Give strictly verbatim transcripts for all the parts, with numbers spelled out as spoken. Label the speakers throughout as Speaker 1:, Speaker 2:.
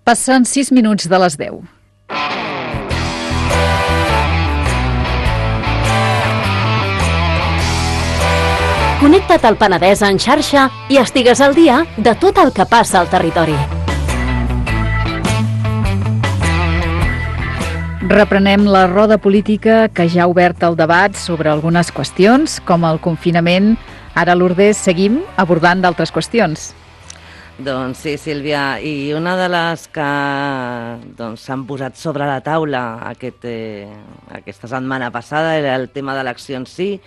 Speaker 1: Passen sis minuts de les deu.
Speaker 2: Connecta't al Penedès en xarxa i estigues al dia de tot el que passa al territori.
Speaker 1: Reprenem la roda política que ja ha obert el debat sobre algunes qüestions, com el confinament. Ara, Lourdes, seguim abordant d'altres qüestions.
Speaker 3: Doncs sí, Sílvia, i una de les que doncs, s'han posat sobre la taula aquest, eh, aquesta setmana passada era el tema d'eleccions sí,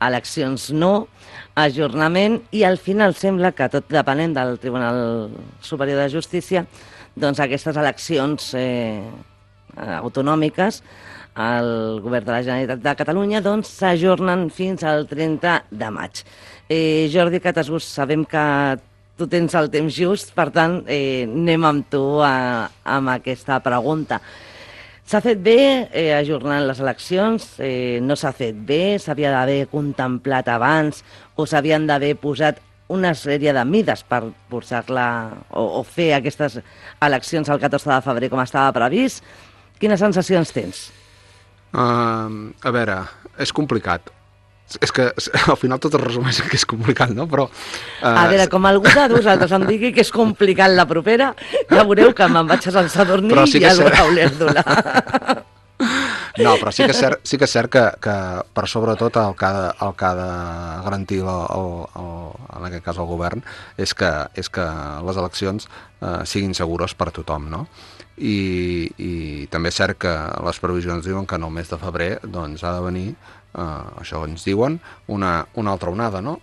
Speaker 3: eleccions no, ajornament, i al final sembla que, tot depenent del Tribunal Superior de Justícia, doncs aquestes eleccions eh, autonòmiques al govern de la Generalitat de Catalunya doncs s'ajornen fins al trenta de maig. Eh, Jordi Catasús, sabem que tu tens el temps just, per tant, eh, anem amb tu a, amb aquesta pregunta. S'ha fet bé eh, ajornant les eleccions? Eh, no s'ha fet bé? S'havia d'haver contemplat abans? O s'havien d'haver posat una sèrie de mides per posar-la o, o fer aquestes eleccions el catorze de febrer com estava previst? Quines sensacions tens?
Speaker 4: Uh, a veure, és complicat. És que al final tot es resumeix que és complicat, no? Però... Uh...
Speaker 3: A veure, com algú de vosaltres em digui que és complicat la propera, ja veureu que me'n vaig a Sant Sadurní sí i ja el veureu l'Erdula.
Speaker 4: No, però sí que és cert, sí que, és cert que, que per sobretot el que ha de, el que ha de garantir el, el, el, en aquest cas el govern és que, és que les eleccions eh, siguin segures per a tothom, no? I, i també és cert que les previsions diuen que en el mes de febrer doncs, ha de venir, eh, això ens diuen, una, una altra onada, no?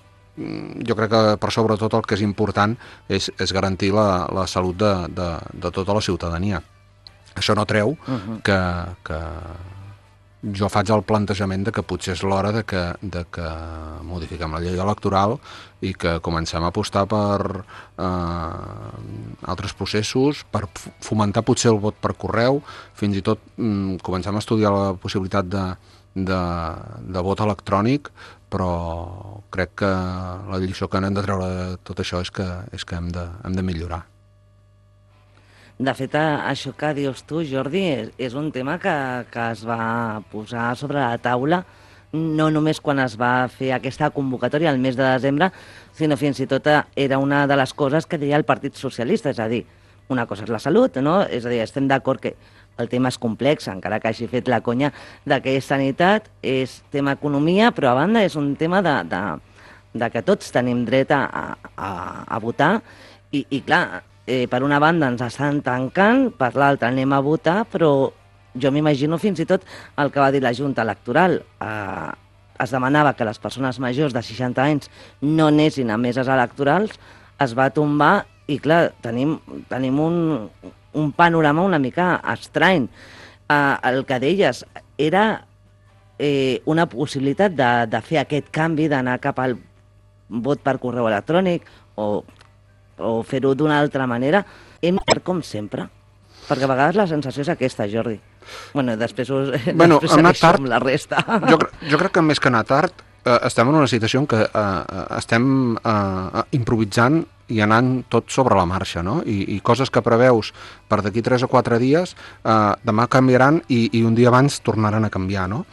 Speaker 4: Jo crec que per sobretot el que és important és, és garantir la, la salut de, de, de tota la ciutadania. Això no treu uh-huh. que, que jo faig el plantejament de que potser és l'hora de que, de que modifiquem la llei electoral i que comencem a apostar per eh, altres processos, per fomentar potser el vot per correu, fins i tot mm, comencem a estudiar la possibilitat de, de, de vot electrònic, però crec que la lliçó que n'hem de treure de tot això és que, és que hem de, hem de millorar.
Speaker 3: De fet, això que dius tu, Jordi, és, és un tema que, que es va posar sobre la taula no només quan es va fer aquesta convocatòria el mes de desembre, sinó fins i tot era una de les coses que deia el Partit Socialista, és a dir, una cosa és la salut, no? És a dir, estem d'acord que el tema és complex, encara que hagi fet la conya de que és sanitat, és tema economia, però a banda és un tema de, de, de que tots tenim dret a, a, a votar i, i clar, Eh, per una banda ens estan tancant, per l'altra anem a votar, però jo m'imagino fins i tot el que va dir la Junta Electoral. Eh, es demanava que les persones majors de seixanta anys no anessin a meses electorals, es va tombar i clar, tenim, tenim un, un panorama una mica estrany. Eh, el que deies era eh, una possibilitat de, de fer aquest canvi, d'anar cap al vot per correu electrònic o... o fer-ho d'una altra manera, hem de com sempre, perquè a vegades la sensació és aquesta, Jordi. Bueno, després, us,
Speaker 4: bueno,
Speaker 3: després segueixo amb la resta.
Speaker 4: Jo, jo crec que més que anar tard, eh, estem en una situació en què eh, estem eh, improvisant i anant tot sobre la marxa, no? I, i coses que preveus per d'aquí tres o quatre dies, eh, demà canviaran i, i un dia abans tornaran a canviar, no?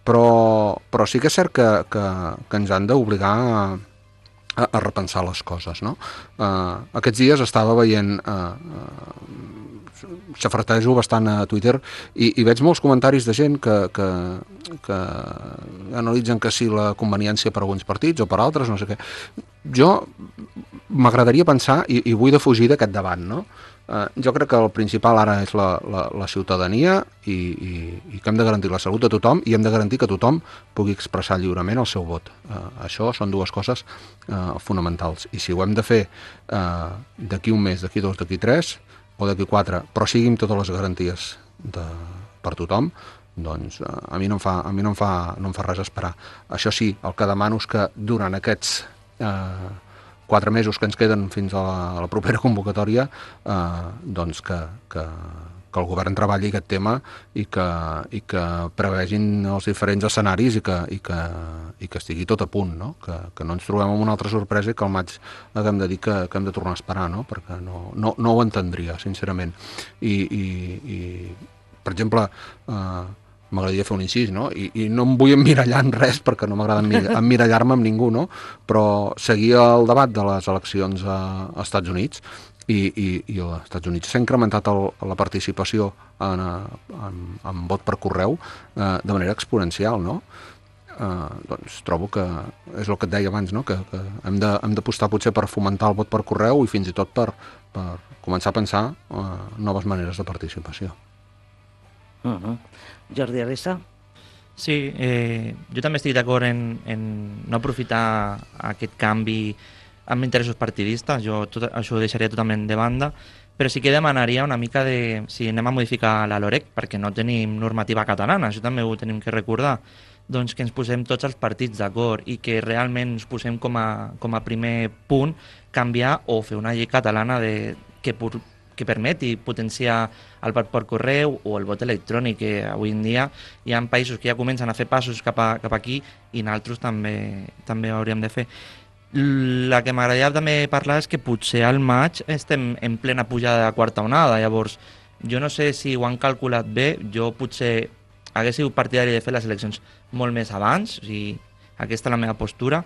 Speaker 4: Però, però sí que és cert que, que, que ens han d'obligar a A, a repensar les coses, no? Uh, aquests dies estava veient, uh, uh, xafartejo bastant a Twitter i, i veig molts comentaris de gent que, que, que analitzen que sí la conveniència per alguns partits o per altres, no sé què. Jo m'agradaria pensar, i, i vull defugir d'aquest debat, no? Uh, jo crec que el principal ara és la, la, la ciutadania i, i, i que hem de garantir la salut de tothom i hem de garantir que tothom pugui expressar lliurement el seu vot. Uh, això són dues coses uh, fonamentals. I si ho hem de fer uh, d'aquí un mes, d'aquí dos, d'aquí tres o d'aquí quatre, però sigui amb totes les garanties de, per tothom, doncs uh, a mi no em fa, a mi no em fa, no em fa res esperar. Això sí, el que demano és que durant aquests... Uh, quatre mesos que ens queden fins a la, a la propera convocatòria, eh, doncs que, que, que el govern treballi aquest tema i que, i que prevegin els diferents escenaris i que, i que, i que estigui tot a punt, no? Que, que no ens trobem amb una altra sorpresa i que al maig haguem de dir que, que hem de tornar a esperar, no? Perquè no, no, no ho entendria, sincerament. I, i, i per exemple, eh, m'agradaria fer un incís, no? I, i no em vull emmirallar en res perquè no m'agrada emmirallar-me amb ningú, no? Però seguir el debat de les eleccions a, als Estats Units i, i, i als Estats Units s'ha incrementat el, la participació en, en, en vot per correu eh, de manera exponencial, no? Eh, doncs trobo que és el que et deia abans, no? que, que hem de, hem d'apostar potser per fomentar el vot per correu i fins i tot per, per començar a pensar eh, noves maneres de participació.
Speaker 3: Uh-huh. Jordi Arissa?
Speaker 5: Sí, eh, jo també estic d'acord en, en no aprofitar aquest canvi amb interessos partidistes, jo tot, això ho deixaria totalment de banda, però sí que demanaria una mica de si anem a modificar la LOREC, perquè no tenim normativa catalana, això també ho tenim que recordar, doncs que ens posem tots els partits d'acord i que realment ens posem com a, com a primer punt canviar o fer una llei catalana de, que, que permeti potenciar el vot per correu o el vot electrònic, que avui en dia hi ha països que ja comencen a fer passos cap, a, cap aquí i nosaltres també, també hauríem de fer. La que m'agradaria també parlar és que potser al maig estem en plena pujada de la quarta onada, llavors jo no sé si ho han calculat bé, jo potser hagués sigut partidari de fer les eleccions molt més abans, o sigui, aquesta és la meva postura,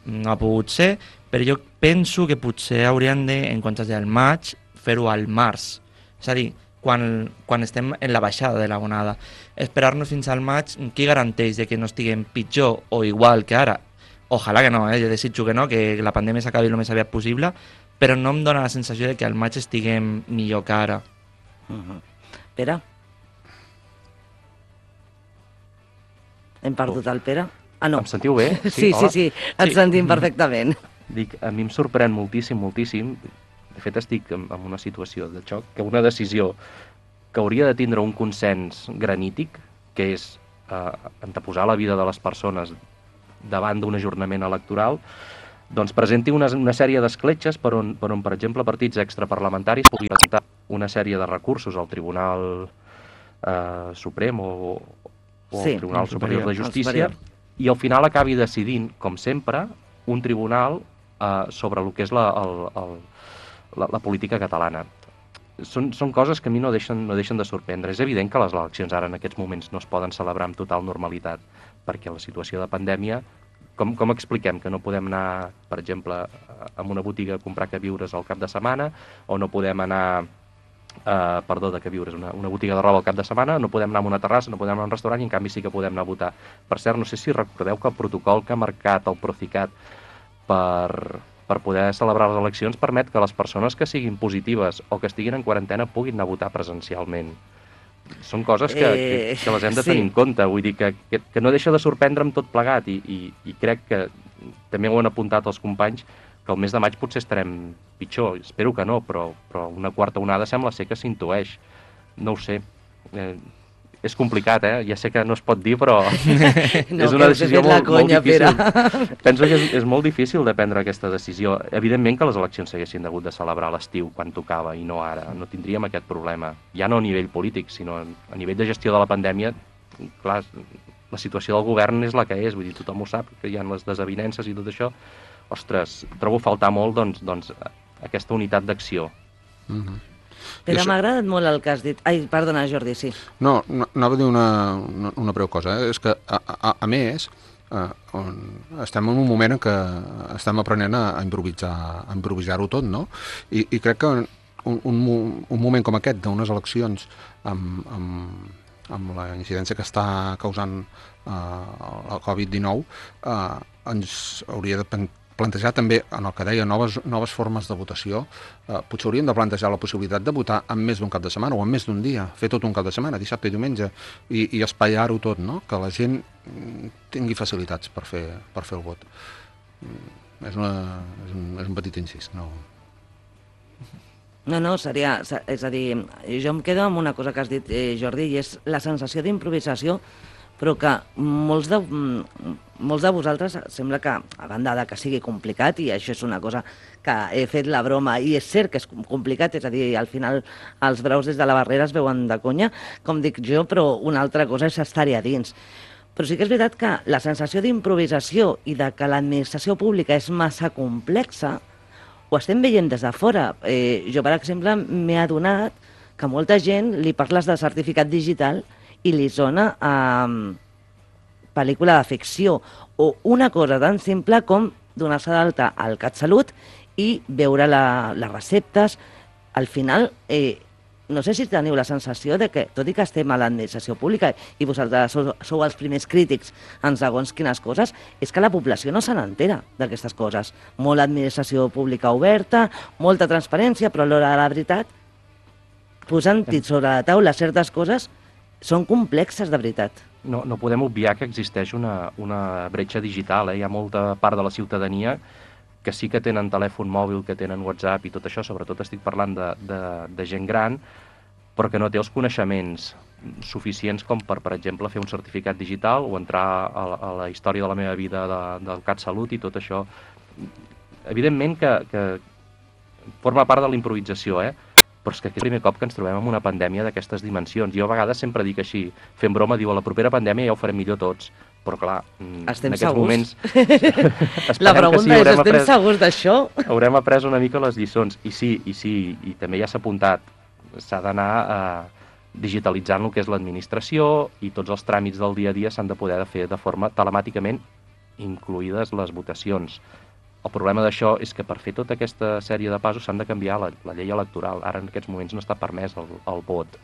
Speaker 5: no ha pogut ser, però jo penso que potser haurien de, en comptes del maig, fer-ho al març, és a dir, quan, quan estem en la baixada de la onada. Esperar-nos fins al maig, qui garanteix de que no estiguem pitjor o igual que ara? Ojalà que no, eh? Jo desitjo que no, que la pandèmia s'acabi el més aviat possible, però no em dóna la sensació de que al maig estiguem millor que ara.
Speaker 3: Uh-huh. Pere? Hem perdut el Pere? Ah, no.
Speaker 6: Em sentiu bé?
Speaker 3: Sí, sí, sí, sí, et sí. sentim perfectament.
Speaker 6: Dic, a mi em sorprèn moltíssim, moltíssim, de fet estic en, en una situació de xoc, que una decisió que hauria de tindre un consens granític, que és eh, anteposar la vida de les persones davant d'un ajornament electoral, doncs presenti una, una sèrie d'escletxes per on, per on, per exemple, partits extraparlamentaris puguin presentar una sèrie de recursos al Tribunal eh, Suprem o, o
Speaker 3: sí,
Speaker 6: al Tribunal Superior, Superior de Justícia i al final acabi decidint, com sempre, un tribunal eh, sobre el que és la, el, el, la, la política catalana. Són, són coses que a mi no deixen, no deixen de sorprendre. És evident que les eleccions ara en aquests moments no es poden celebrar amb total normalitat, perquè la situació de pandèmia, com, com expliquem que no podem anar, per exemple, a una botiga a comprar queviures al cap de setmana, o no podem anar, eh, perdó, de queviures, una, una botiga de roba al cap de setmana, no podem anar a una terrassa, no podem anar a un restaurant, i en canvi sí que podem anar a votar. Per cert, no sé si recordeu que el protocol que ha marcat el Procicat per, per poder celebrar les eleccions permet que les persones que siguin positives o que estiguin en quarantena puguin anar a votar presencialment. Són coses que, que, que les hem de tenir sí. en compte, vull dir que, que, que no deixa de sorprendre'm tot plegat i, i, i crec que també ho han apuntat els companys que el mes de maig potser estarem pitjor, espero que no, però, però una quarta onada sembla ser que s'intueix, no ho sé, eh, és complicat, eh? Ja sé que no es pot dir, però no, és una decisió molt, conya, molt difícil. Penso que és, és molt difícil de prendre aquesta decisió. Evidentment que les eleccions s'haguessin hagut de celebrar a l'estiu quan tocava i no ara. No tindríem aquest problema. Ja no a nivell polític, sinó a nivell de gestió de la pandèmia. Clar, la situació del govern és la que és, vull dir, tothom ho sap, que hi ha les desavinences i tot això. Ostres, trobo faltar molt, doncs, doncs aquesta unitat d'acció.
Speaker 3: Mhm. Però m'ha agradat molt el que has dit. Ai, perdona, Jordi, sí.
Speaker 4: No, no anava a dir una, una, una breu cosa. Eh? És que, a, a, a més, eh, on estem en un moment en què estem aprenent a, a improvisar, a improvisar-ho tot, no? I, i crec que un, un, un moment com aquest, d'unes eleccions amb, amb, amb la incidència que està causant eh, el covid dinou, eh, ens hauria de plantejar també, en el que deia, noves, noves formes de votació. Eh, potser hauríem de plantejar la possibilitat de votar en més d'un cap de setmana o en més d'un dia, fer tot un cap de setmana, dissabte i diumenge, i, i espaiar-ho tot, no? Que la gent tingui facilitats per fer, per fer el vot. És, una, és, un, és un petit incís, no...
Speaker 3: No, no, seria... És a dir, jo em quedo amb una cosa que has dit, eh, Jordi, i és la sensació d'improvisació però que molts de, molts de vosaltres sembla que, a banda de que sigui complicat, i això és una cosa que he fet la broma, i és cert que és complicat, és a dir, al final els braus des de la barrera es veuen de conya, com dic jo, però una altra cosa és estar-hi a dins. Però sí que és veritat que la sensació d'improvisació i de que l'administració pública és massa complexa, ho estem veient des de fora. Eh, jo, per exemple, m'he adonat que molta gent li parles de certificat digital i li sona a um, pel·lícula de ficció, o una cosa tan simple com donar-se d'alta al CatSalut i veure la, les receptes. Al final, eh, no sé si teniu la sensació de que, tot i que estem a l'administració pública i vosaltres sou, sou els primers crítics en segons quines coses, és que la població no se n'entera d'aquestes coses. Molta administració pública oberta, molta transparència, però a l'hora de la veritat, posant sobre la taula certes coses, són complexes de veritat.
Speaker 6: No, no podem obviar que existeix una, una bretxa digital. Eh? Hi ha molta part de la ciutadania que sí que tenen telèfon mòbil, que tenen WhatsApp i tot això, sobretot estic parlant de, de, de gent gran, però que no té els coneixements suficients com per, per exemple, fer un certificat digital o entrar a la, a la història de la meva vida de, del CatSalut i tot això. Evidentment que, que forma part de la improvisació, eh? Però és que és el primer cop que ens trobem amb una pandèmia d'aquestes dimensions. Jo a vegades sempre dic així, fent broma, diu, a la propera pandèmia ja ho farem millor tots. Però clar,
Speaker 3: estem
Speaker 6: en aquests
Speaker 3: segurs?
Speaker 6: moments...
Speaker 3: La pregunta
Speaker 6: sí,
Speaker 3: és, estem
Speaker 6: après,
Speaker 3: segurs d'això?
Speaker 6: Haurem après una mica les lliçons. I sí, i sí, i també ja s'ha apuntat. S'ha d'anar eh, digitalitzant el que és l'administració i tots els tràmits del dia a dia s'han de poder fer de forma telemàticament, incluïdes les votacions. El problema d'això és que per fer tota aquesta sèrie de passos s'han de canviar la, la llei electoral. Ara en aquests moments no està permès el, el vot.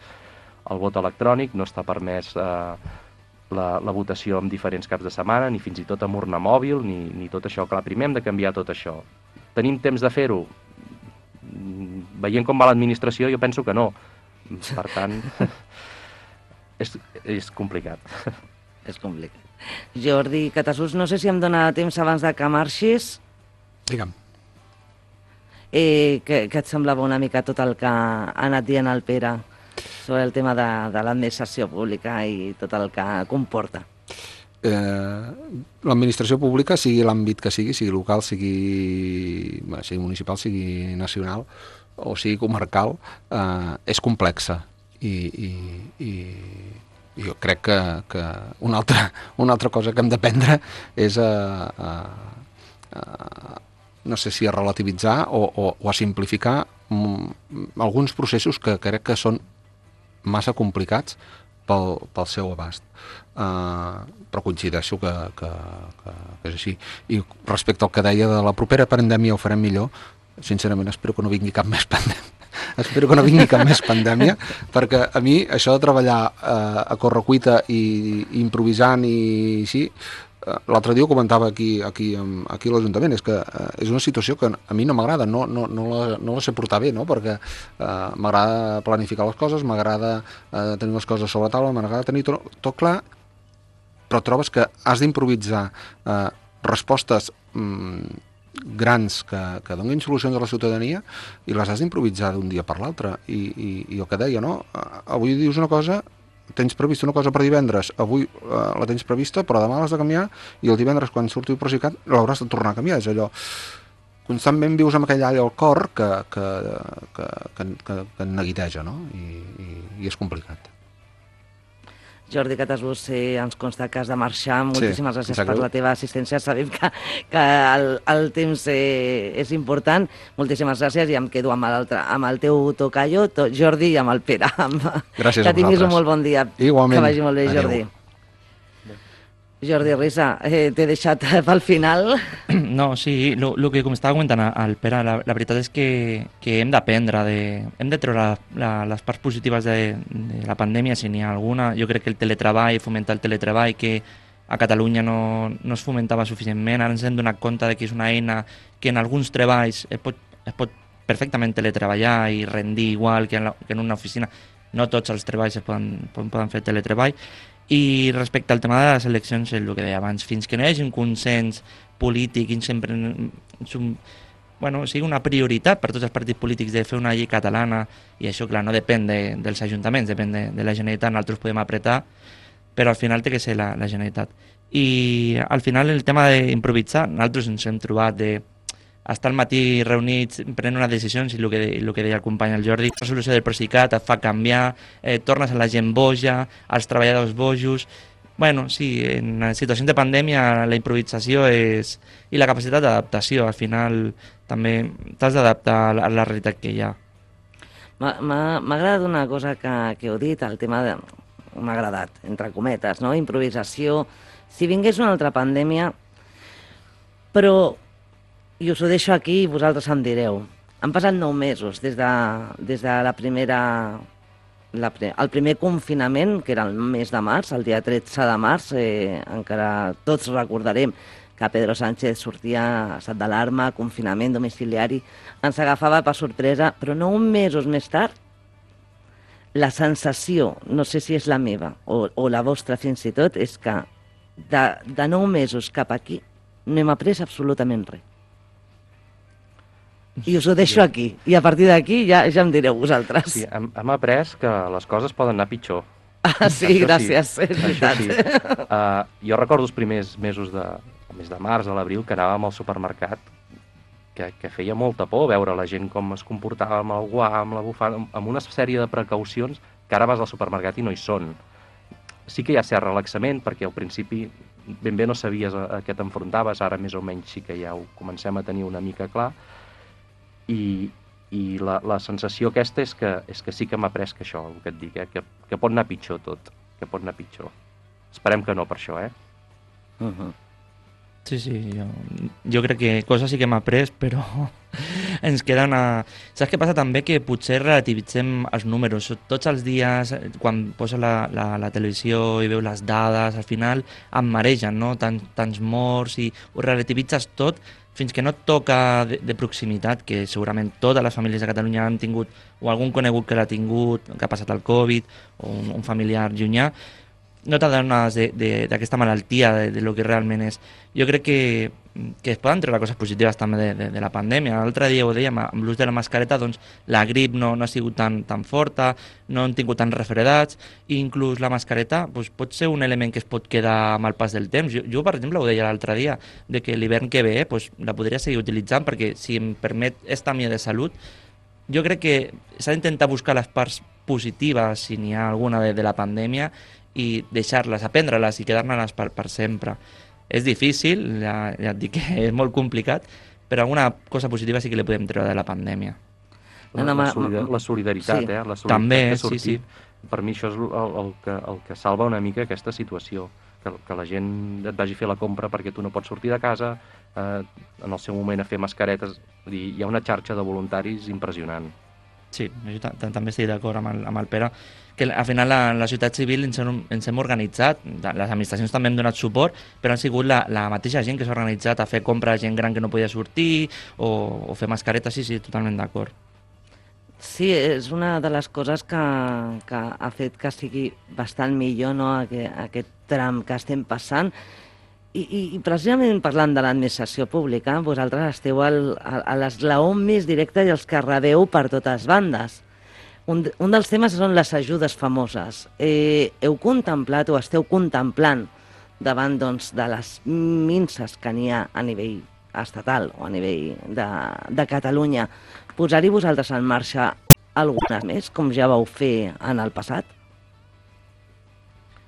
Speaker 6: El vot electrònic, no està permès eh, la, la votació en diferents caps de setmana, ni fins i tot amb urna mòbil, ni, ni tot això. Clar, primer hem de canviar tot això. Tenim temps de fer-ho? Veient com va l'administració, jo penso que no. Per tant, és, és complicat.
Speaker 3: És complicat. Jordi Catasús, no sé si em dóna temps abans de que marxis.
Speaker 4: Digue'm.
Speaker 3: Eh, què, què et semblava una mica tot el que ha anat dient el Pere sobre el tema de, de l'administració pública i tot el que comporta?
Speaker 4: Eh, l'administració pública, sigui l'àmbit que sigui, sigui local, sigui, bé, sigui municipal, sigui nacional o sigui comarcal, eh, és complexa i, i, i jo crec que, que una, altra, una altra cosa que hem d'aprendre és a, a, a no sé si a relativitzar o, o, o a simplificar mm, alguns processos que crec que són massa complicats pel, pel seu abast. Uh, però coincideixo que, que, que, que és així. I respecte al que deia de la propera pandèmia ho farem millor, sincerament espero que no vingui cap més pandèmia. Espero que no vingui cap més pandèmia, perquè a mi això de treballar uh, a correcuita i, i improvisant i així, l'altre dia ho comentava aquí, aquí, aquí a l'Ajuntament, és que eh, és una situació que a mi no m'agrada, no, no, no, la, no la sé portar bé, no? Perquè eh, m'agrada planificar les coses, m'agrada eh, tenir les coses sobre la taula, m'agrada tenir tot, tot clar, però trobes que has d'improvisar eh, respostes mm, grans que, que donin solucions a la ciutadania i les has d'improvisar d'un dia per l'altre. I, i, I el que deia, no? Avui dius una cosa, tens prevista una cosa per divendres, avui eh, la tens prevista, però demà l'has de canviar i el divendres, quan surti el Procicat, l'hauràs de tornar a canviar. És allò, constantment vius amb aquell all al cor que, que, que, que, que, que neguiteja, no? I, i, i és complicat.
Speaker 3: Jordi Catasús, eh, ens consta que has de marxar. Moltíssimes
Speaker 4: sí,
Speaker 3: gràcies per la teva assistència. Sabem que, que el, el temps eh, és important. Moltíssimes gràcies i em quedo amb, amb el teu tocayo, to, Jordi, i amb el Pere. Amb...
Speaker 4: Gràcies
Speaker 3: que
Speaker 4: a vosaltres.
Speaker 3: Que tinguis un molt bon dia.
Speaker 4: Igualment.
Speaker 3: Que vagi molt bé, Jordi. Adéu. Jordi Risa, eh, t'he deixat pel final.
Speaker 5: No, sí, el que com estava comentant el Pere, la, la veritat és que, que hem d'aprendre, de, hem de treure la, la, les parts positives de, de la pandèmia, si n'hi ha alguna. Jo crec que el teletreball, fomentar el teletreball, que a Catalunya no, no es fomentava suficientment, ara ens hem donat compte de que és una eina que en alguns treballs es pot, es pot perfectament teletreballar i rendir igual que en, la, que en una oficina. No tots els treballs es poden, poden fer teletreball. I respecte al tema de les eleccions, el que deia abans, fins que no hi hagi un consens polític i sempre bueno, sigui una prioritat per tots els partits polítics de fer una llei catalana, i això clar, no depèn de, dels ajuntaments, depèn de, de la Generalitat, nosaltres podem apretar, però al final té que ser la, la Generalitat. I al final el tema d'improvisar, nosaltres ens hem trobat de estar al matí reunits, prenent unes decisions, i el que, el que deia el company el Jordi, la solució del Procicat et fa canviar, eh, tornes a la gent boja, als treballadors bojos. Bueno, sí, en situacions de pandèmia la improvisació és... i la capacitat d'adaptació, al final també t'has d'adaptar a la realitat que hi ha.
Speaker 3: M'ha agradat una cosa que, que heu dit, el tema de... m'ha agradat, entre cometes, no? Improvisació. Si vingués una altra pandèmia, però, i us ho deixo aquí i vosaltres em direu, han passat nou mesos des de, des de la primera... La, el primer confinament, que era el mes de març, el dia tretze de març, eh, encara tots recordarem que Pedro Sánchez sortia a estat d'alarma, confinament domiciliari, ens agafava per sorpresa, però nou mesos més tard, la sensació, no sé si és la meva o, o la vostra fins i tot, és que de, de nou mesos cap aquí no hem après absolutament res. I us ho deixo aquí, i a partir d'aquí ja, ja em direu vosaltres.
Speaker 6: Sí, hem, hem après que les coses poden anar pitjor.
Speaker 3: Ah, sí, això gràcies, sí, és veritat.
Speaker 6: Sí. Uh, jo recordo els primers mesos de, el mes de març, a l'abril, que anàvem al supermercat, que, que feia molta por veure la gent com es comportava amb el guant, amb la bufanda, amb una sèrie de precaucions que ara vas al supermercat i no hi són. Sí que hi ha cert relaxament, perquè al principi ben bé no sabies a, a què t'enfrontaves, ara més o menys sí que ja ho comencem a tenir una mica clar, i, i la, la sensació aquesta és que, és que sí que m'ha après que això, el que et dic, eh? que, que pot anar pitjor tot, que pot anar pitjor. Esperem que no per això, eh?
Speaker 3: Uh-huh.
Speaker 5: Sí, sí, jo, jo crec que coses sí que m'ha après, però ens queda una... Saps què passa també? Que potser relativitzem els números. Tots els dies, quan posa la, la, la televisió i veu les dades, al final em maregen, no? Tant, tants morts, i ho relativitzes tot, fins que no et toca de, de proximitat, que segurament totes les famílies de Catalunya han tingut, o algun conegut que l'ha tingut, que ha passat el Covid, o un, un familiar llunyà, no t'adones d'aquesta malaltia, de, de lo que realment és. Jo crec que, que es poden treure coses positives també de, de, de la pandèmia. L'altre dia ho dèiem, amb l'ús de la mascareta, doncs la grip no, no ha sigut tan, tan forta, no han tingut tants refredats, i inclús la mascareta doncs, pot ser un element que es pot quedar amb el pas del temps. Jo, jo per exemple, ho deia l'altre dia, de que l'hivern que ve doncs, la podria seguir utilitzant, perquè si em permet esta mia de salut, jo crec que s'ha d'intentar buscar les parts positives, si n'hi ha alguna de, de la pandèmia, i deixar-les, aprendre-les i quedar-ne-les per, per sempre. És difícil, ja, ja et dic que és molt complicat, però alguna cosa positiva sí que li podem treure de la pandèmia.
Speaker 6: La, la, solidar la solidaritat, sí. eh? La solidaritat
Speaker 5: també,
Speaker 6: que ha sortit,
Speaker 5: sí, sí.
Speaker 6: Per mi això és el, el, que, el que salva una mica aquesta situació, que, que la gent et vagi a fer la compra perquè tu no pots sortir de casa, eh, en el seu moment a fer mascaretes, vull dir, hi ha una xarxa de voluntaris impressionant.
Speaker 5: Sí, jo també estic d'acord amb, el, amb el Pere, que al final la, la societat civil ens hem, ens hem organitzat, les administracions també hem donat suport, però han sigut la, la mateixa gent que s'ha organitzat a fer compra a gent gran que no podia sortir, o, o fer mascaretes, sí, sí, totalment d'acord.
Speaker 3: Sí, és una de les coses que, que ha fet que sigui bastant millor, no?, aquest, aquest tram que estem passant. I, i, i precisament parlant de l'administració pública, vosaltres esteu al, a, a l'esglaó més directe i els que rebeu per totes bandes. Un, un dels temes són les ajudes famoses. Eh, heu contemplat o esteu contemplant davant, doncs, de les minces que n'hi ha a nivell estatal o a nivell de, de Catalunya, posar-hi vosaltres en marxa algunes més, com ja vau fer en el passat?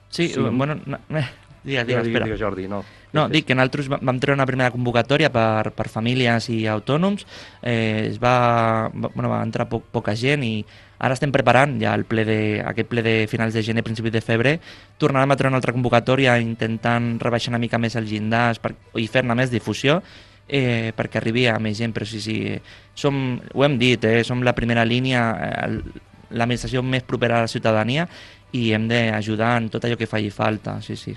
Speaker 5: Sí, sí. bueno... No, eh. Digues, digues, espera.
Speaker 6: Digues, Jordi, no.
Speaker 5: No, dic que nosaltres vam treure una primera convocatòria per, per famílies i autònoms, eh, es va, bueno, va entrar poc, poca gent, i ara estem preparant ja el ple de, aquest ple de finals de gener, principis de febrer. Tornarem a treure una altra convocatòria intentant rebaixar una mica més els llindars per, i fer-ne més difusió, eh, perquè arribi a més gent, però sí, sí, som, ho hem dit, eh, som la primera línia, eh, l'administració més propera a la ciutadania, i hem d'ajudar en tot allò que faci falta, sí, sí.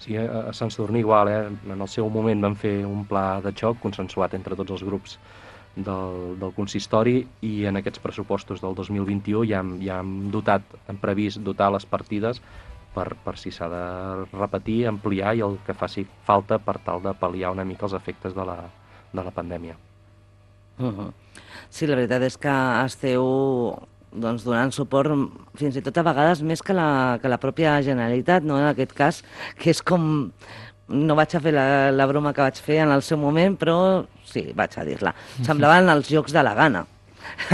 Speaker 6: Sí, a Sant Sadurní igual, eh? En el seu moment vam fer un pla de xoc consensuat entre tots els grups del, del consistori, i en aquests pressupostos del dos mil vint-i-u ja hem, ja hem dotat, hem previst dotar les partides per, per si s'ha de repetir, ampliar i el que faci falta per tal de pal·liar una mica els efectes de la, de la pandèmia.
Speaker 3: Uh-huh. Sí, la veritat és que esteu doncs, donant suport fins i tot a vegades més que la, que la pròpia Generalitat, no? En aquest cas, que és com... No vaig a fer la, la broma que vaig fer en el seu moment, però sí, vaig a dir-la. Semblaven els jocs de la gana,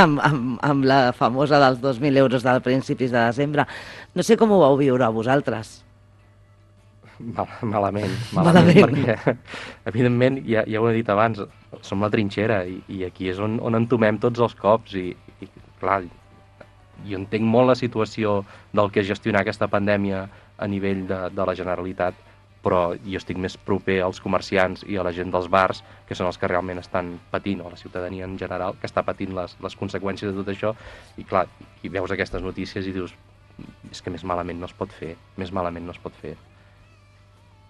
Speaker 3: amb, amb, amb la famosa dels dos mil euros del principis de desembre. No sé com ho vau viure a vosaltres.
Speaker 6: Mal, malament, malament,
Speaker 3: Malament.
Speaker 6: perquè, evidentment, ja, ja ho he dit abans, som la trinxera i, i aquí és on, on entomem tots els cops i, i, clar, jo entenc molt la situació del que és gestionar aquesta pandèmia a nivell de, de la Generalitat, però jo estic més proper als comerciants i a la gent dels bars, que són els que realment estan patint, o la ciutadania en general, que està patint les, les conseqüències de tot això, i clar, i veus aquestes notícies i dius, és que més malament no es pot fer, més malament no es pot fer.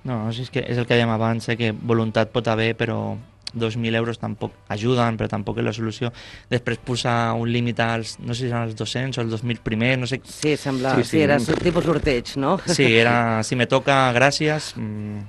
Speaker 5: No, és, que és el que dèiem abans, eh, que voluntat pot haver, però dos mil euros tampoc ajuden, però tampoc és la solució. Després posar un límit als, no sé si eren els dos-cents o els dos mil primers, no sé...
Speaker 3: Sí, sembla,
Speaker 6: Sí,
Speaker 3: sí,
Speaker 6: sí.
Speaker 3: sí, era un tipus sorteig, no?
Speaker 5: Sí, era, si me toca, gràcies. Mm.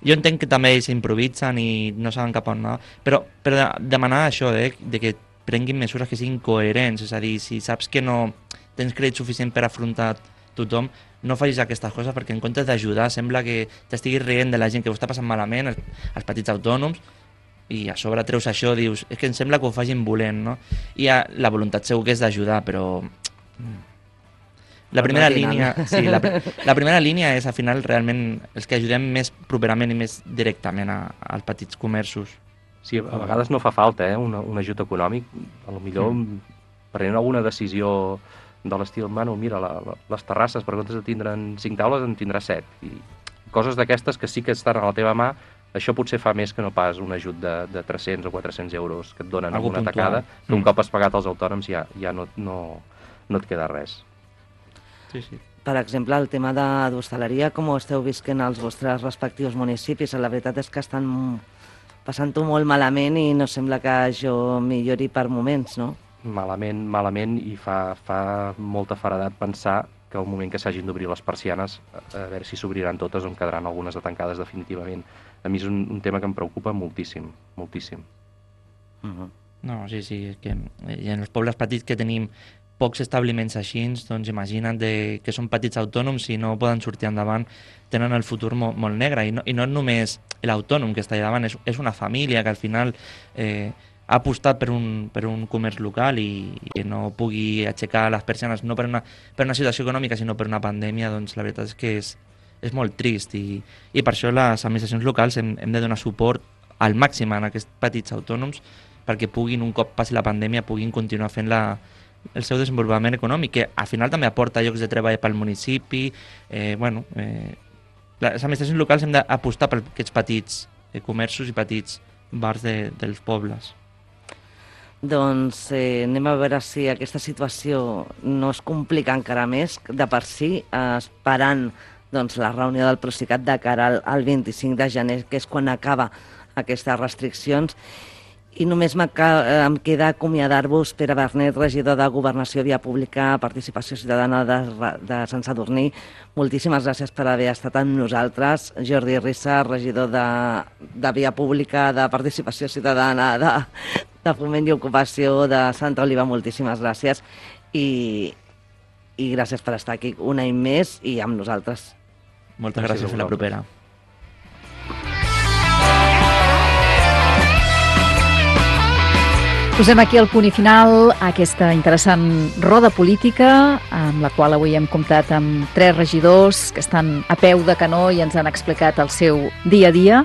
Speaker 5: Jo entenc que també ells improvisen i no saben cap on anar, però, però de- demanar això, eh, de que prenguin mesures que siguin coherents, és a dir, si saps que no tens crèdit suficient per afrontar tothom, no facis aquestes coses, perquè en comptes d'ajudar sembla que t'estiguis rient de la gent que ho està passant malament, els, els petits autònoms, i a sobre treus això, dius, és que em sembla que ho facin volent, no? I a, la voluntat segur que és d'ajudar, però... La primera,
Speaker 3: no
Speaker 5: línia, sí, la, pr- la primera línia és, al final, realment els que ajudem més properament i més directament a, als petits comerços.
Speaker 6: Sí, a vegades no fa falta, eh, un, un ajut econòmic, a lo millor mm. prenent alguna decisió de l'estil, mano, mira, la, la, les terrasses, per comptes de tindre'n cinc taules, en tindràs set. I coses d'aquestes que sí que estan a la teva mà, això potser fa més que no pas un ajut de, de tres-cents o quatre-cents euros que et donen
Speaker 5: Algo
Speaker 6: amb una
Speaker 5: puntual.
Speaker 6: tacada, que un
Speaker 5: Mm.
Speaker 6: cop has pagat els autònoms ja, ja no, no, no et queda res.
Speaker 5: Sí, sí.
Speaker 3: Per exemple, el tema de d'hostaleria, com ho esteu visquent als vostres respectius municipis? La veritat és que estan passant-ho molt malament i no sembla que això millori per moments, no?
Speaker 6: Malament, malament, i fa, fa molta feredat pensar que al moment que s'hagin d'obrir les persianes, a a veure si s'obriran totes o en quedaran algunes de tancades definitivament. A mi és un, un tema que em preocupa moltíssim, moltíssim.
Speaker 3: Uh -huh.
Speaker 5: No, sí, sí, és que i en els pobles petits que tenim pocs establiments així, doncs imagina't de, que són petits autònoms i no poden sortir endavant, tenen el futur molt, molt negre. I no, i no és només l'autònom que està allà davant, és, és una família que al final eh, ha apostat per un, per un comerç local i, i que no pugui aixecar les persianes no per una, per una situació econòmica, sinó per una pandèmia, doncs la veritat és que és, és molt trist i, i per això les administracions locals hem, hem de donar suport al màxim a aquests petits autònoms perquè puguin, un cop passi la pandèmia, puguin continuar fent la, el seu desenvolupament econòmic, que al final també aporta llocs de treball pel municipi. Eh, bueno, eh, les administracions locals hem d'apostar per aquests petits eh, comerços i petits bars de, dels pobles.
Speaker 3: Doncs eh, anem a veure si aquesta situació no es complica encara més de per si, eh, esperant doncs, la reunió del Procicat de cara al, al vint-i-cinc de gener, que és quan acaba aquestes restriccions. I només em queda acomiadar-vos, Pere Bernet, regidor de Governació, Via Pública, Participació Ciutadana de, de Sant Sadurní. Moltíssimes gràcies per haver estat amb nosaltres. Jordi Rissa, regidor de, de Via Pública, de Participació Ciutadana, de, de Foment i Ocupació de Santa Oliva, moltíssimes gràcies. I, i gràcies per estar aquí un any més i amb nosaltres.
Speaker 5: Moltes
Speaker 6: Gràcies
Speaker 5: gràcies,
Speaker 6: a
Speaker 5: gràcies la
Speaker 6: vosaltres.
Speaker 5: propera.
Speaker 1: Posem aquí el punt i final a aquesta interessant roda política amb la qual avui hem comptat amb tres regidors que estan a peu de canó i ens han explicat el seu dia a dia.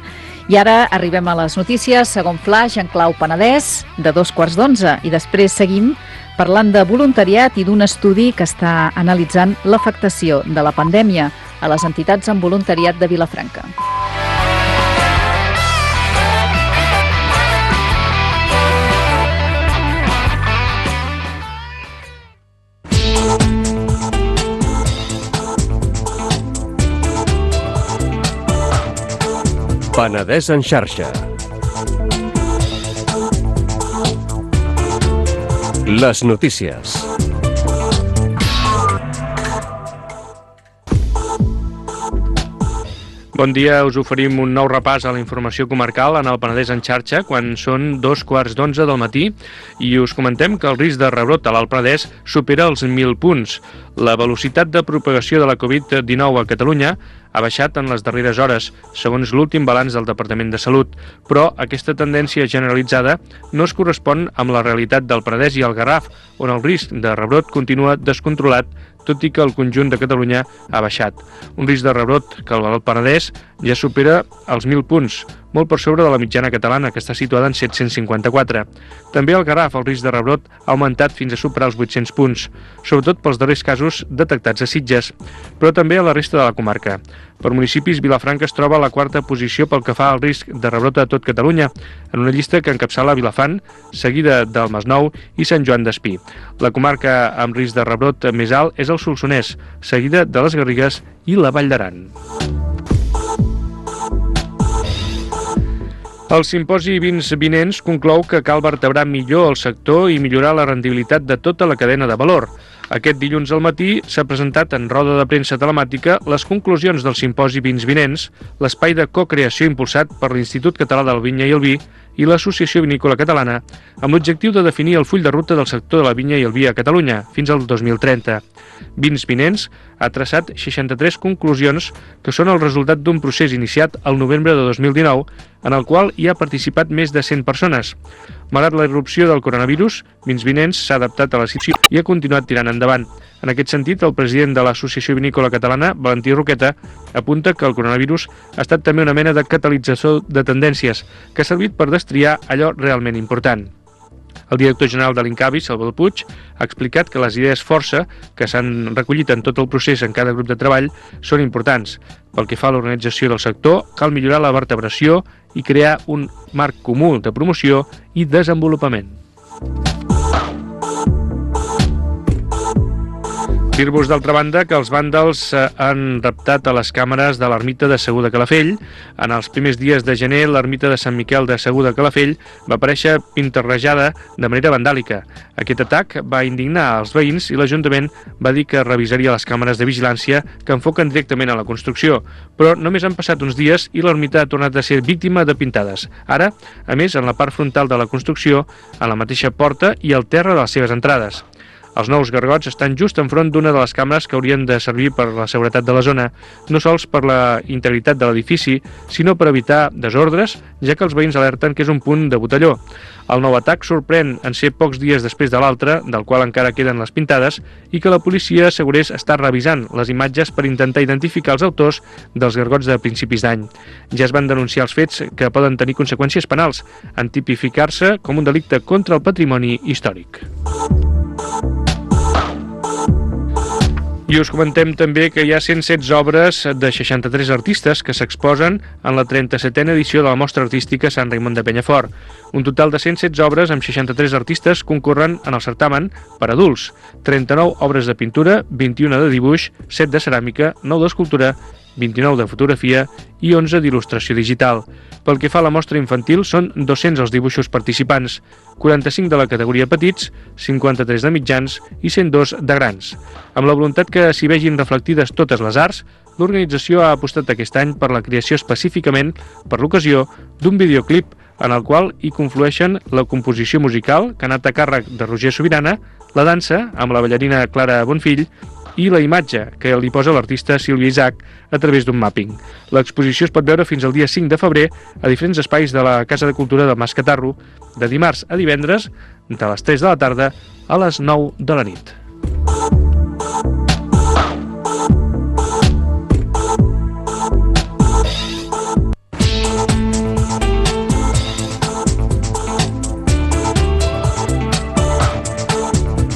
Speaker 1: I ara arribem a les notícies, segon flash en clau Penedès, de dos quarts d'onze. I després seguim parlant de voluntariat i d'un estudi que està analitzant l'afectació de la pandèmia a les entitats amb voluntariat de Vilafranca.
Speaker 7: Penedès en xarxa. Les notícies.
Speaker 8: Bon dia, us oferim un nou repàs a la informació comarcal en el Penedès en xarxa quan són dos quarts d'onze del matí i us comentem que el risc de rebrot a l'Alt Penedès supera els mil punts. La velocitat de propagació de la covid dinou a Catalunya ha baixat en les darreres hores, segons l'últim balanç del Departament de Salut, però aquesta tendència generalitzada no es correspon amb la realitat del Penedès i el Garraf, on el risc de rebrot continua descontrolat, tot i que el conjunt de Catalunya ha baixat. Un risc de rebrot que al Penedès ja supera els mil punts, molt per sobre de la mitjana catalana, que està situada en set-cents cinquanta-quatre. També al Garraf el risc de rebrot ha augmentat fins a superar els vuit-cents punts, sobretot pels darrers casos detectats a Sitges, però també a la resta de la comarca. Per municipis, Vilafranca es troba a la quarta posició pel que fa al risc de rebrot a tot Catalunya, en una llista que encapçala Vilafant, seguida del Masnou i Sant Joan d'Espí. La comarca amb risc de rebrot més alt és el Solsonès, seguida de les Garrigues i la Vall d'Aran. El simposi Vins Vinents conclou que cal vertebrar millor el sector i millorar la rendibilitat de tota la cadena de valor. Aquest dilluns al matí s'ha presentat en roda de premsa telemàtica les conclusions del simposi Vins Vinents, l'espai de cocreació impulsat per l'Institut Català de la Vinya i el Vi i l'Associació Vinícola Catalana, amb l'objectiu de definir el full de ruta del sector de la vinya i el vi a Catalunya fins al dos mil trenta. Vins Vinents ha traçat seixanta-tres conclusions que són el resultat d'un procés iniciat al novembre de dos mil dinou, en el qual hi ha participat més de cent persones. Malgrat la irrupció del coronavirus, Vins Vinents s'ha adaptat a la situació i ha continuat tirant endavant. En aquest sentit, el president de l'Associació Vinícola Catalana, Valentí Roqueta, apunta que el coronavirus ha estat també una mena de catalitzador de tendències que ha servit per destriar allò realment important. El director general de l'Incavi, Salvador Puig, ha explicat que les idees força que s'han recollit en tot el procés en cada grup de treball són importants. Pel que fa a l'organització del sector, cal millorar la vertebració i crear un marc comú de promoció i desenvolupament. Dir-vos, d'altra banda, que els vàndals han reptat a les càmeres de l'ermita de Segur de Calafell. En els primers dies de gener, l'ermita de Sant Miquel de Segur de Calafell va aparèixer pintarrejada de manera vandàlica. Aquest atac va indignar els veïns i l'Ajuntament va dir que revisaria les càmeres de vigilància que enfoquen directament a la construcció. Però només han passat uns dies i l'ermita ha tornat a ser víctima de pintades. Ara, a més, en la part frontal de la construcció, a la mateixa porta i al terra de les seves entrades. Els nous gargots estan just enfront d'una de les càmeres que haurien de servir per la seguretat de la zona, no sols per la integritat de l'edifici, sinó per evitar desordres, ja que els veïns alerten que és un punt de botelló. El nou atac sorprèn en ser pocs dies després de l'altre, del qual encara queden les pintades, i que la policia assegurés està revisant les imatges per intentar identificar els autors dels gargots de principis d'any. Ja es van denunciar els fets que poden tenir conseqüències penals, en tipificar-se com un delicte contra el patrimoni històric. I us comentem també que hi ha cent setze obres de seixanta-tres artistes que s'exposen en la trenta-setena edició de la Mostra Artística Sant Raimon de Penyafort. Un total de cent setze obres amb seixanta-tres artistes concorren en el certamen per adults, trenta-nou obres de pintura, vint-i-una de dibuix, set de ceràmica, nou d'escultura, vint-i-nou de fotografia i onze d'il·lustració digital. Pel que fa a la mostra infantil, són dos-cents els dibuixos participants, quaranta-cinc de la categoria petits, cinquanta-tres de mitjans i cent dos de grans. Amb la voluntat que s'hi vegin reflectides totes les arts, l'organització ha apostat aquest any per la creació específicament, per l'ocasió, d'un videoclip en el qual hi conflueixen la composició musical, que ha anat a càrrec de Roger Sobirana, la dansa, amb la ballarina Clara Bonfill, i la imatge que li posa l'artista Sílvia Isaac a través d'un mapping. L'exposició es pot veure fins al dia cinc de febrer a diferents espais de la Casa de Cultura del Mas Catarro, de dimarts a divendres, de les tres de la tarda a les nou de la nit.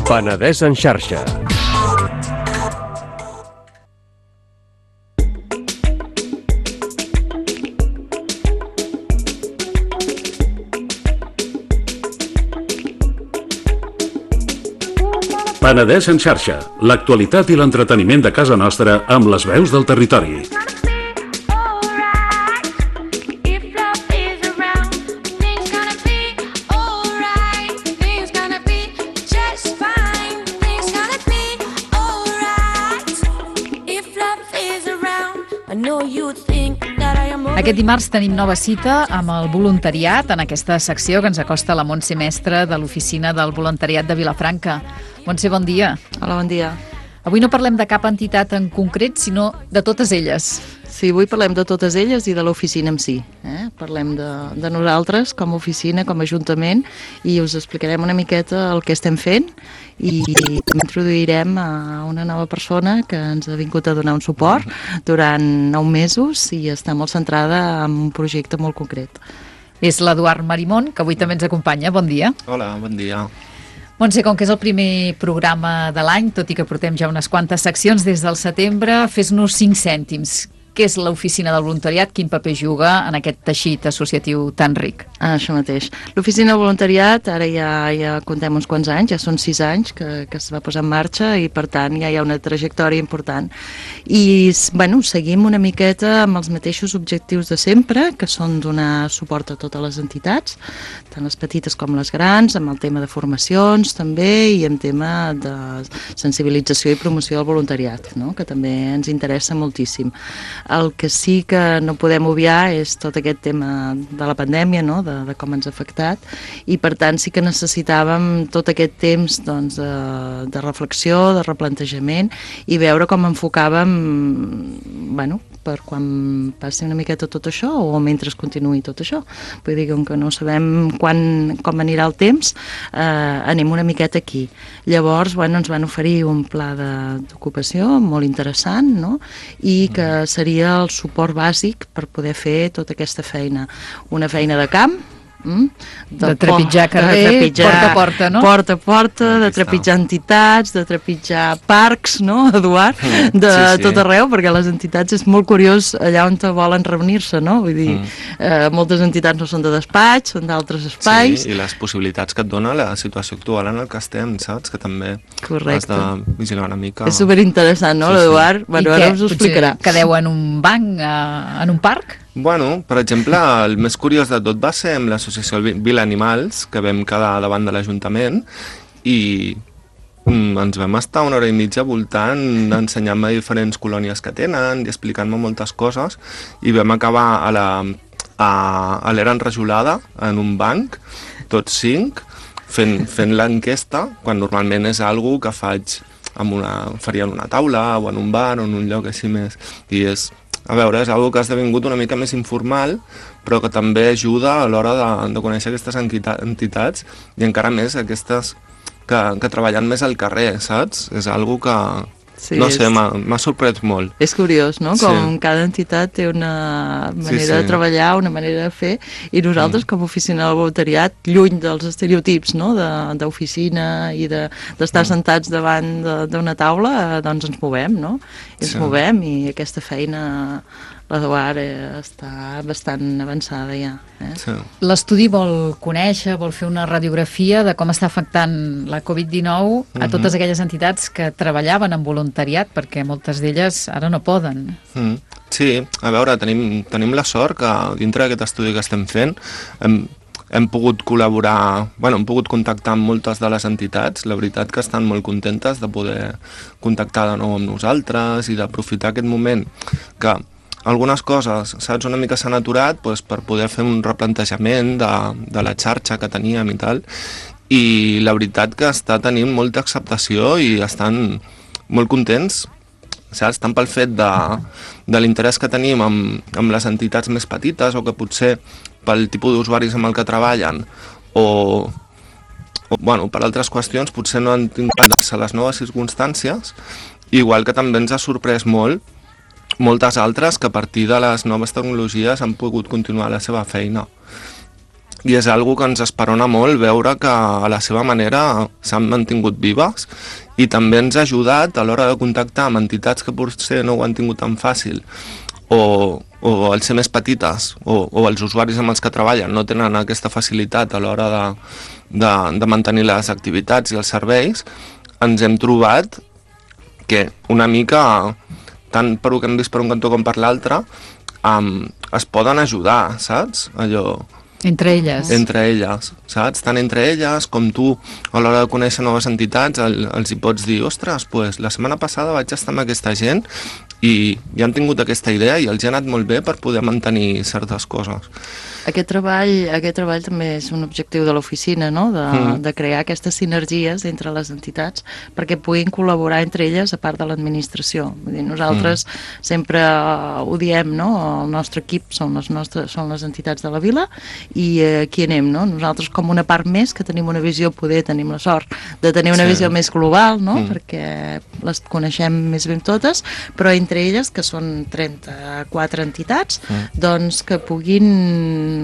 Speaker 7: Penedès en xarxa.
Speaker 9: Penedès en xarxa, l'actualitat i l'entreteniment de casa nostra amb les veus del territori.
Speaker 10: I know you think that
Speaker 1: Aquest dimarts tenim nova cita amb el voluntariat en aquesta secció que ens acosta la Montse Mestre de l'Oficina del Voluntariat de Vilafranca. Montse, bon dia.
Speaker 10: Hola, bon dia.
Speaker 1: Avui no parlem de cap entitat en concret, sinó de totes elles.
Speaker 10: Sí, avui parlem de totes elles i de l'oficina en si. Eh? Parlem de, de nosaltres com a oficina, com a ajuntament, i us explicarem una miqueta el que estem fent i introduirem a una nova persona que ens ha vingut a donar un suport durant nou mesos i està molt centrada en un projecte molt concret.
Speaker 1: És l'Eduard Marimón, que avui també ens acompanya. Bon dia.
Speaker 11: Hola, bon dia.
Speaker 1: Montse, com que és el primer programa de l'any, tot i que portem ja unes quantes seccions des del setembre, fes-nos cinc cèntims. Què és l'Oficina del Voluntariat? Quin paper juga en aquest teixit associatiu tan ric?
Speaker 10: Ah, això mateix. L'Oficina del Voluntariat, ara ja, ja contem uns quants anys, ja són sis anys que, que es va posar en marxa i per tant ja hi ha una trajectòria important. I bueno, seguim una miqueta amb els mateixos objectius de sempre, que són donar suport a totes les entitats, tant les petites com les grans, amb el tema de formacions també i amb tema de sensibilització i promoció del voluntariat, no? Que també ens interessa moltíssim. El que sí que no podem obviar és tot aquest tema de la pandèmia, no? de, de com ens ha afectat, i per tant sí que necessitàvem tot aquest temps doncs, de, de reflexió, de replantejament, i veure com enfocàvem, bueno, per quan passi una miqueta tot això o mentre es continuï tot això. Vull dir que, com que no sabem quan, com anirà el temps, eh, anem una miqueta aquí. Llavors, bueno, ens van oferir un pla d'ocupació molt interessant, no? I que seria el suport bàsic per poder fer tota aquesta feina. Una feina de camp, Mm?
Speaker 1: De, de trepitjar carrer, de trepitjar, porta a porta, no?
Speaker 10: Porta a porta, de trepitjar entitats, de trepitjar parcs, no, Eduard? De sí, sí. tot arreu, perquè les entitats és molt curiós allà on volen reunir-se, no? Vull dir, mm. eh, moltes entitats no són de despatx, són d'altres espais.
Speaker 11: Sí, i les possibilitats que et dona la situació actual en el que estem, saps? Que també
Speaker 10: Correcte.
Speaker 11: has de vigilar una mica.
Speaker 10: És superinteressant, no, sí, l'Eduard? Sí. Bueno, ara us ho explicarà.
Speaker 1: Quedeu en un banc, eh, en un parc?
Speaker 11: Bueno, per exemple, el més curiós de tot va ser amb l'associació Vila Animals, que vam quedar davant de l'Ajuntament i mm, ens vam estar una hora i mitja voltant, ensenyant-me diferents colònies que tenen i explicant-me moltes coses, i vam acabar a la a, a l'era enrajolada, en un banc, tots cinc, fent, fent l'enquesta, quan normalment és algo que faig amb una, faria en una taula o en un bar o en un lloc així més, i és a veure, és una que ha esdevingut una mica més informal, però que també ajuda a l'hora de, de conèixer aquestes entitats i encara més aquestes que, que treballen més al carrer, saps? És una que, sí, no sé, m'ha sorprès molt.
Speaker 10: És curiós, no? Com sí. cada entitat té una manera sí, sí. de treballar, una manera de fer, i nosaltres, mm. com a oficina del voluntariat, lluny dels estereotips, no? d'oficina i d'estar de, mm. sentats davant d'una taula, doncs ens movem, no? I ens sí. movem, i aquesta feina l'Eduard eh, està bastant avançada ja. Eh?
Speaker 1: Sí. L'estudi vol conèixer, vol fer una radiografia de com està afectant la covid dinou a uh-huh. totes aquelles entitats que treballaven en voluntariat, perquè moltes d'elles ara no poden.
Speaker 11: Mm. Sí, a veure, tenim, tenim la sort que dintre d'aquest estudi que estem fent hem, hem pogut col·laborar, bueno, hem pogut contactar amb moltes de les entitats, la veritat que estan molt contentes de poder contactar de nou amb nosaltres i d'aprofitar aquest moment que algunes coses, saps, una mica s'han aturat doncs, per poder fer un replantejament de, de la xarxa que teníem i tal, i la veritat que està tenint molta acceptació i estan molt contents, saps, tant pel fet de, de l'interès que tenim amb, amb les entitats més petites o que potser pel tipus d'usuaris amb el que treballen o, o bueno, per altres qüestions potser no han tingut les noves circumstàncies, igual que també ens ha sorprès molt moltes altres que a partir de les noves tecnologies han pogut continuar la seva feina. I és algo que ens esperona molt veure que a la seva manera s'han mantingut vives i també ens ha ajudat a l'hora de contactar amb entitats que potser no ho han tingut tan fàcil o, o al ser més petites o, o els usuaris amb els que treballen no tenen aquesta facilitat a l'hora de, de, de mantenir les activitats i els serveis, ens hem trobat que una mica tant per ho que hem vist per un cantó com per l'altre, um, es poden ajudar, saps? Allò...
Speaker 1: Entre elles.
Speaker 11: Entre elles, saps? Tant entre elles com tu, a l'hora de conèixer noves entitats, el, els hi pots dir, ostres, pues, la setmana passada vaig estar amb aquesta gent i, i han tingut aquesta idea i els ha anat molt bé per poder mantenir certes coses.
Speaker 10: Aquest treball, aquest treball també és un objectiu de l'oficina, no? de, mm. de crear aquestes sinergies entre les entitats perquè puguin col·laborar entre elles a part de l'administració. Vull dir, nosaltres mm. sempre ho diem, no? El nostre equip són les, nostres, són les entitats de la vila i eh, aquí anem, no? Nosaltres com una part més que tenim una visió, poder tenim la sort de tenir una sí. visió més global, no? Mm. perquè les coneixem més ben totes, però entre elles, que són trenta-quatre entitats, mm. doncs que puguin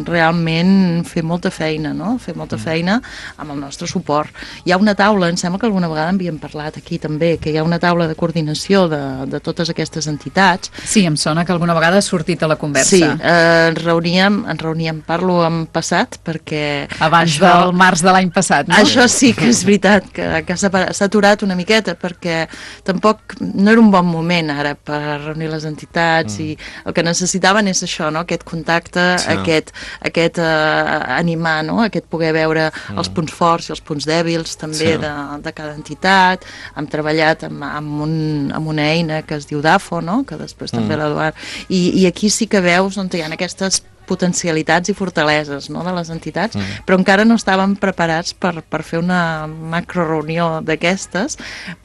Speaker 10: realment fer molta feina, no? Fer molta feina amb el nostre suport. Hi ha una taula, em sembla que alguna vegada havíem parlat aquí també, que hi ha una taula de coordinació de, de totes aquestes entitats.
Speaker 1: Sí, em sona que alguna vegada ha sortit a la conversa.
Speaker 10: Sí, eh, ens reuníem, ens reuníem, parlo en passat, perquè...
Speaker 1: Abans això, del març de l'any passat, no?
Speaker 10: Això sí que és veritat, que, que s'ha aturat una miqueta, perquè tampoc no era un bon moment ara per reunir les entitats mm. i el que necessitaven és això, no? Aquest contacte, sí. aquest aquest eh, animar, no? Aquest poder veure mm. els punts forts i els punts dèbils també sí. de, de cada entitat. Hem treballat amb, amb, un, amb una eina que es diu DAFO, no? Que després mm. també l'Eduard, i, i aquí sí que veus on hi ha aquestes potencialitats i fortaleses, no? De les entitats, mm. però encara no estàvem preparats per, per fer una macro reunió d'aquestes,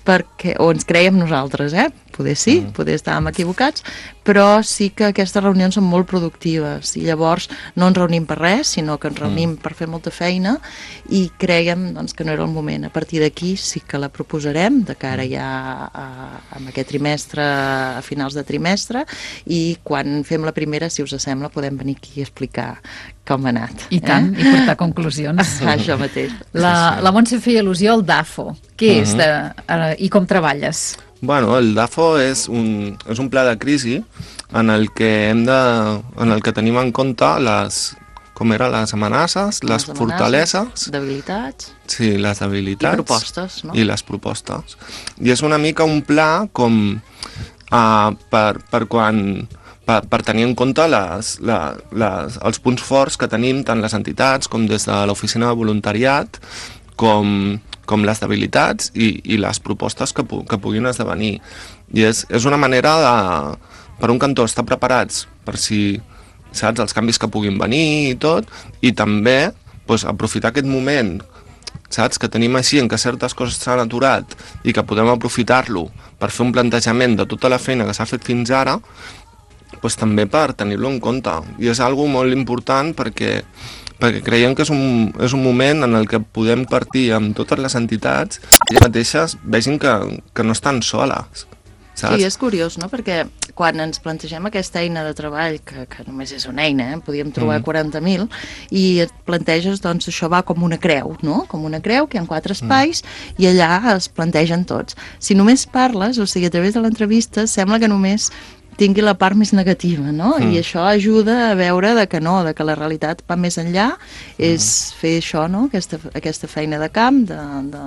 Speaker 10: perquè, o ens creiem nosaltres, eh? Poder sí, mm. poder estàvem equivocats, però sí que aquestes reunions són molt productives i llavors no ens reunim per res, sinó que ens reunim mm. per fer molta feina i creiem doncs, que no era el moment. A partir d'aquí sí que la proposarem de cara ja a, a aquest trimestre, a finals de trimestre, i quan fem la primera, si us sembla, podem venir aquí a explicar com ha anat.
Speaker 1: I tant, eh? I portar conclusions.
Speaker 10: Ah, això mateix.
Speaker 1: La, la Montse feia al·lusió al DAFO. Què uh-huh. és de, uh, i com treballes?
Speaker 11: Bueno, el DAFO és un, és un pla de crisi en el que hem de, en el que tenim en compte les, com eren les amenaces, les, les amenaces, fortaleses,
Speaker 10: debilitats,
Speaker 11: sí, les debilitats
Speaker 10: i propostes, no?
Speaker 11: I les propostes. I és una mica un pla com uh, per, per quan per, per tenir en compte les, les, les, els punts forts que tenim tant les entitats com des de l'oficina de voluntariat com com les debilitats i, i les propostes que, pu que puguin esdevenir. I és, és una manera de, per un cantó, estar preparats per si, saps, els canvis que puguin venir i tot, i també pues, aprofitar aquest moment, saps, que tenim així en què certes coses s'han aturat i que podem aprofitar-lo per fer un plantejament de tota la feina que s'ha fet fins ara, pues, també per tenir-lo en compte. I és algo molt important perquè perquè creiem que és un, és un moment en el que podem partir amb totes les entitats i elles mateixes vegin que, que no estan soles. Saps?
Speaker 10: Sí, és curiós, no? Perquè quan ens plantegem aquesta eina de treball, que, que només és una eina, eh? Podíem trobar mm. quaranta mil, i et planteges, doncs, això va com una creu, no? Com una creu, que hi ha quatre espais, mm. i allà es plantegen tots. Si només parles, o sigui, a través de l'entrevista, sembla que només tingui la part més negativa, no? Mm. I això ajuda a veure de que no, de que la realitat va més enllà, és mm. fer això, no? Aquesta, aquesta feina de camp, de, de,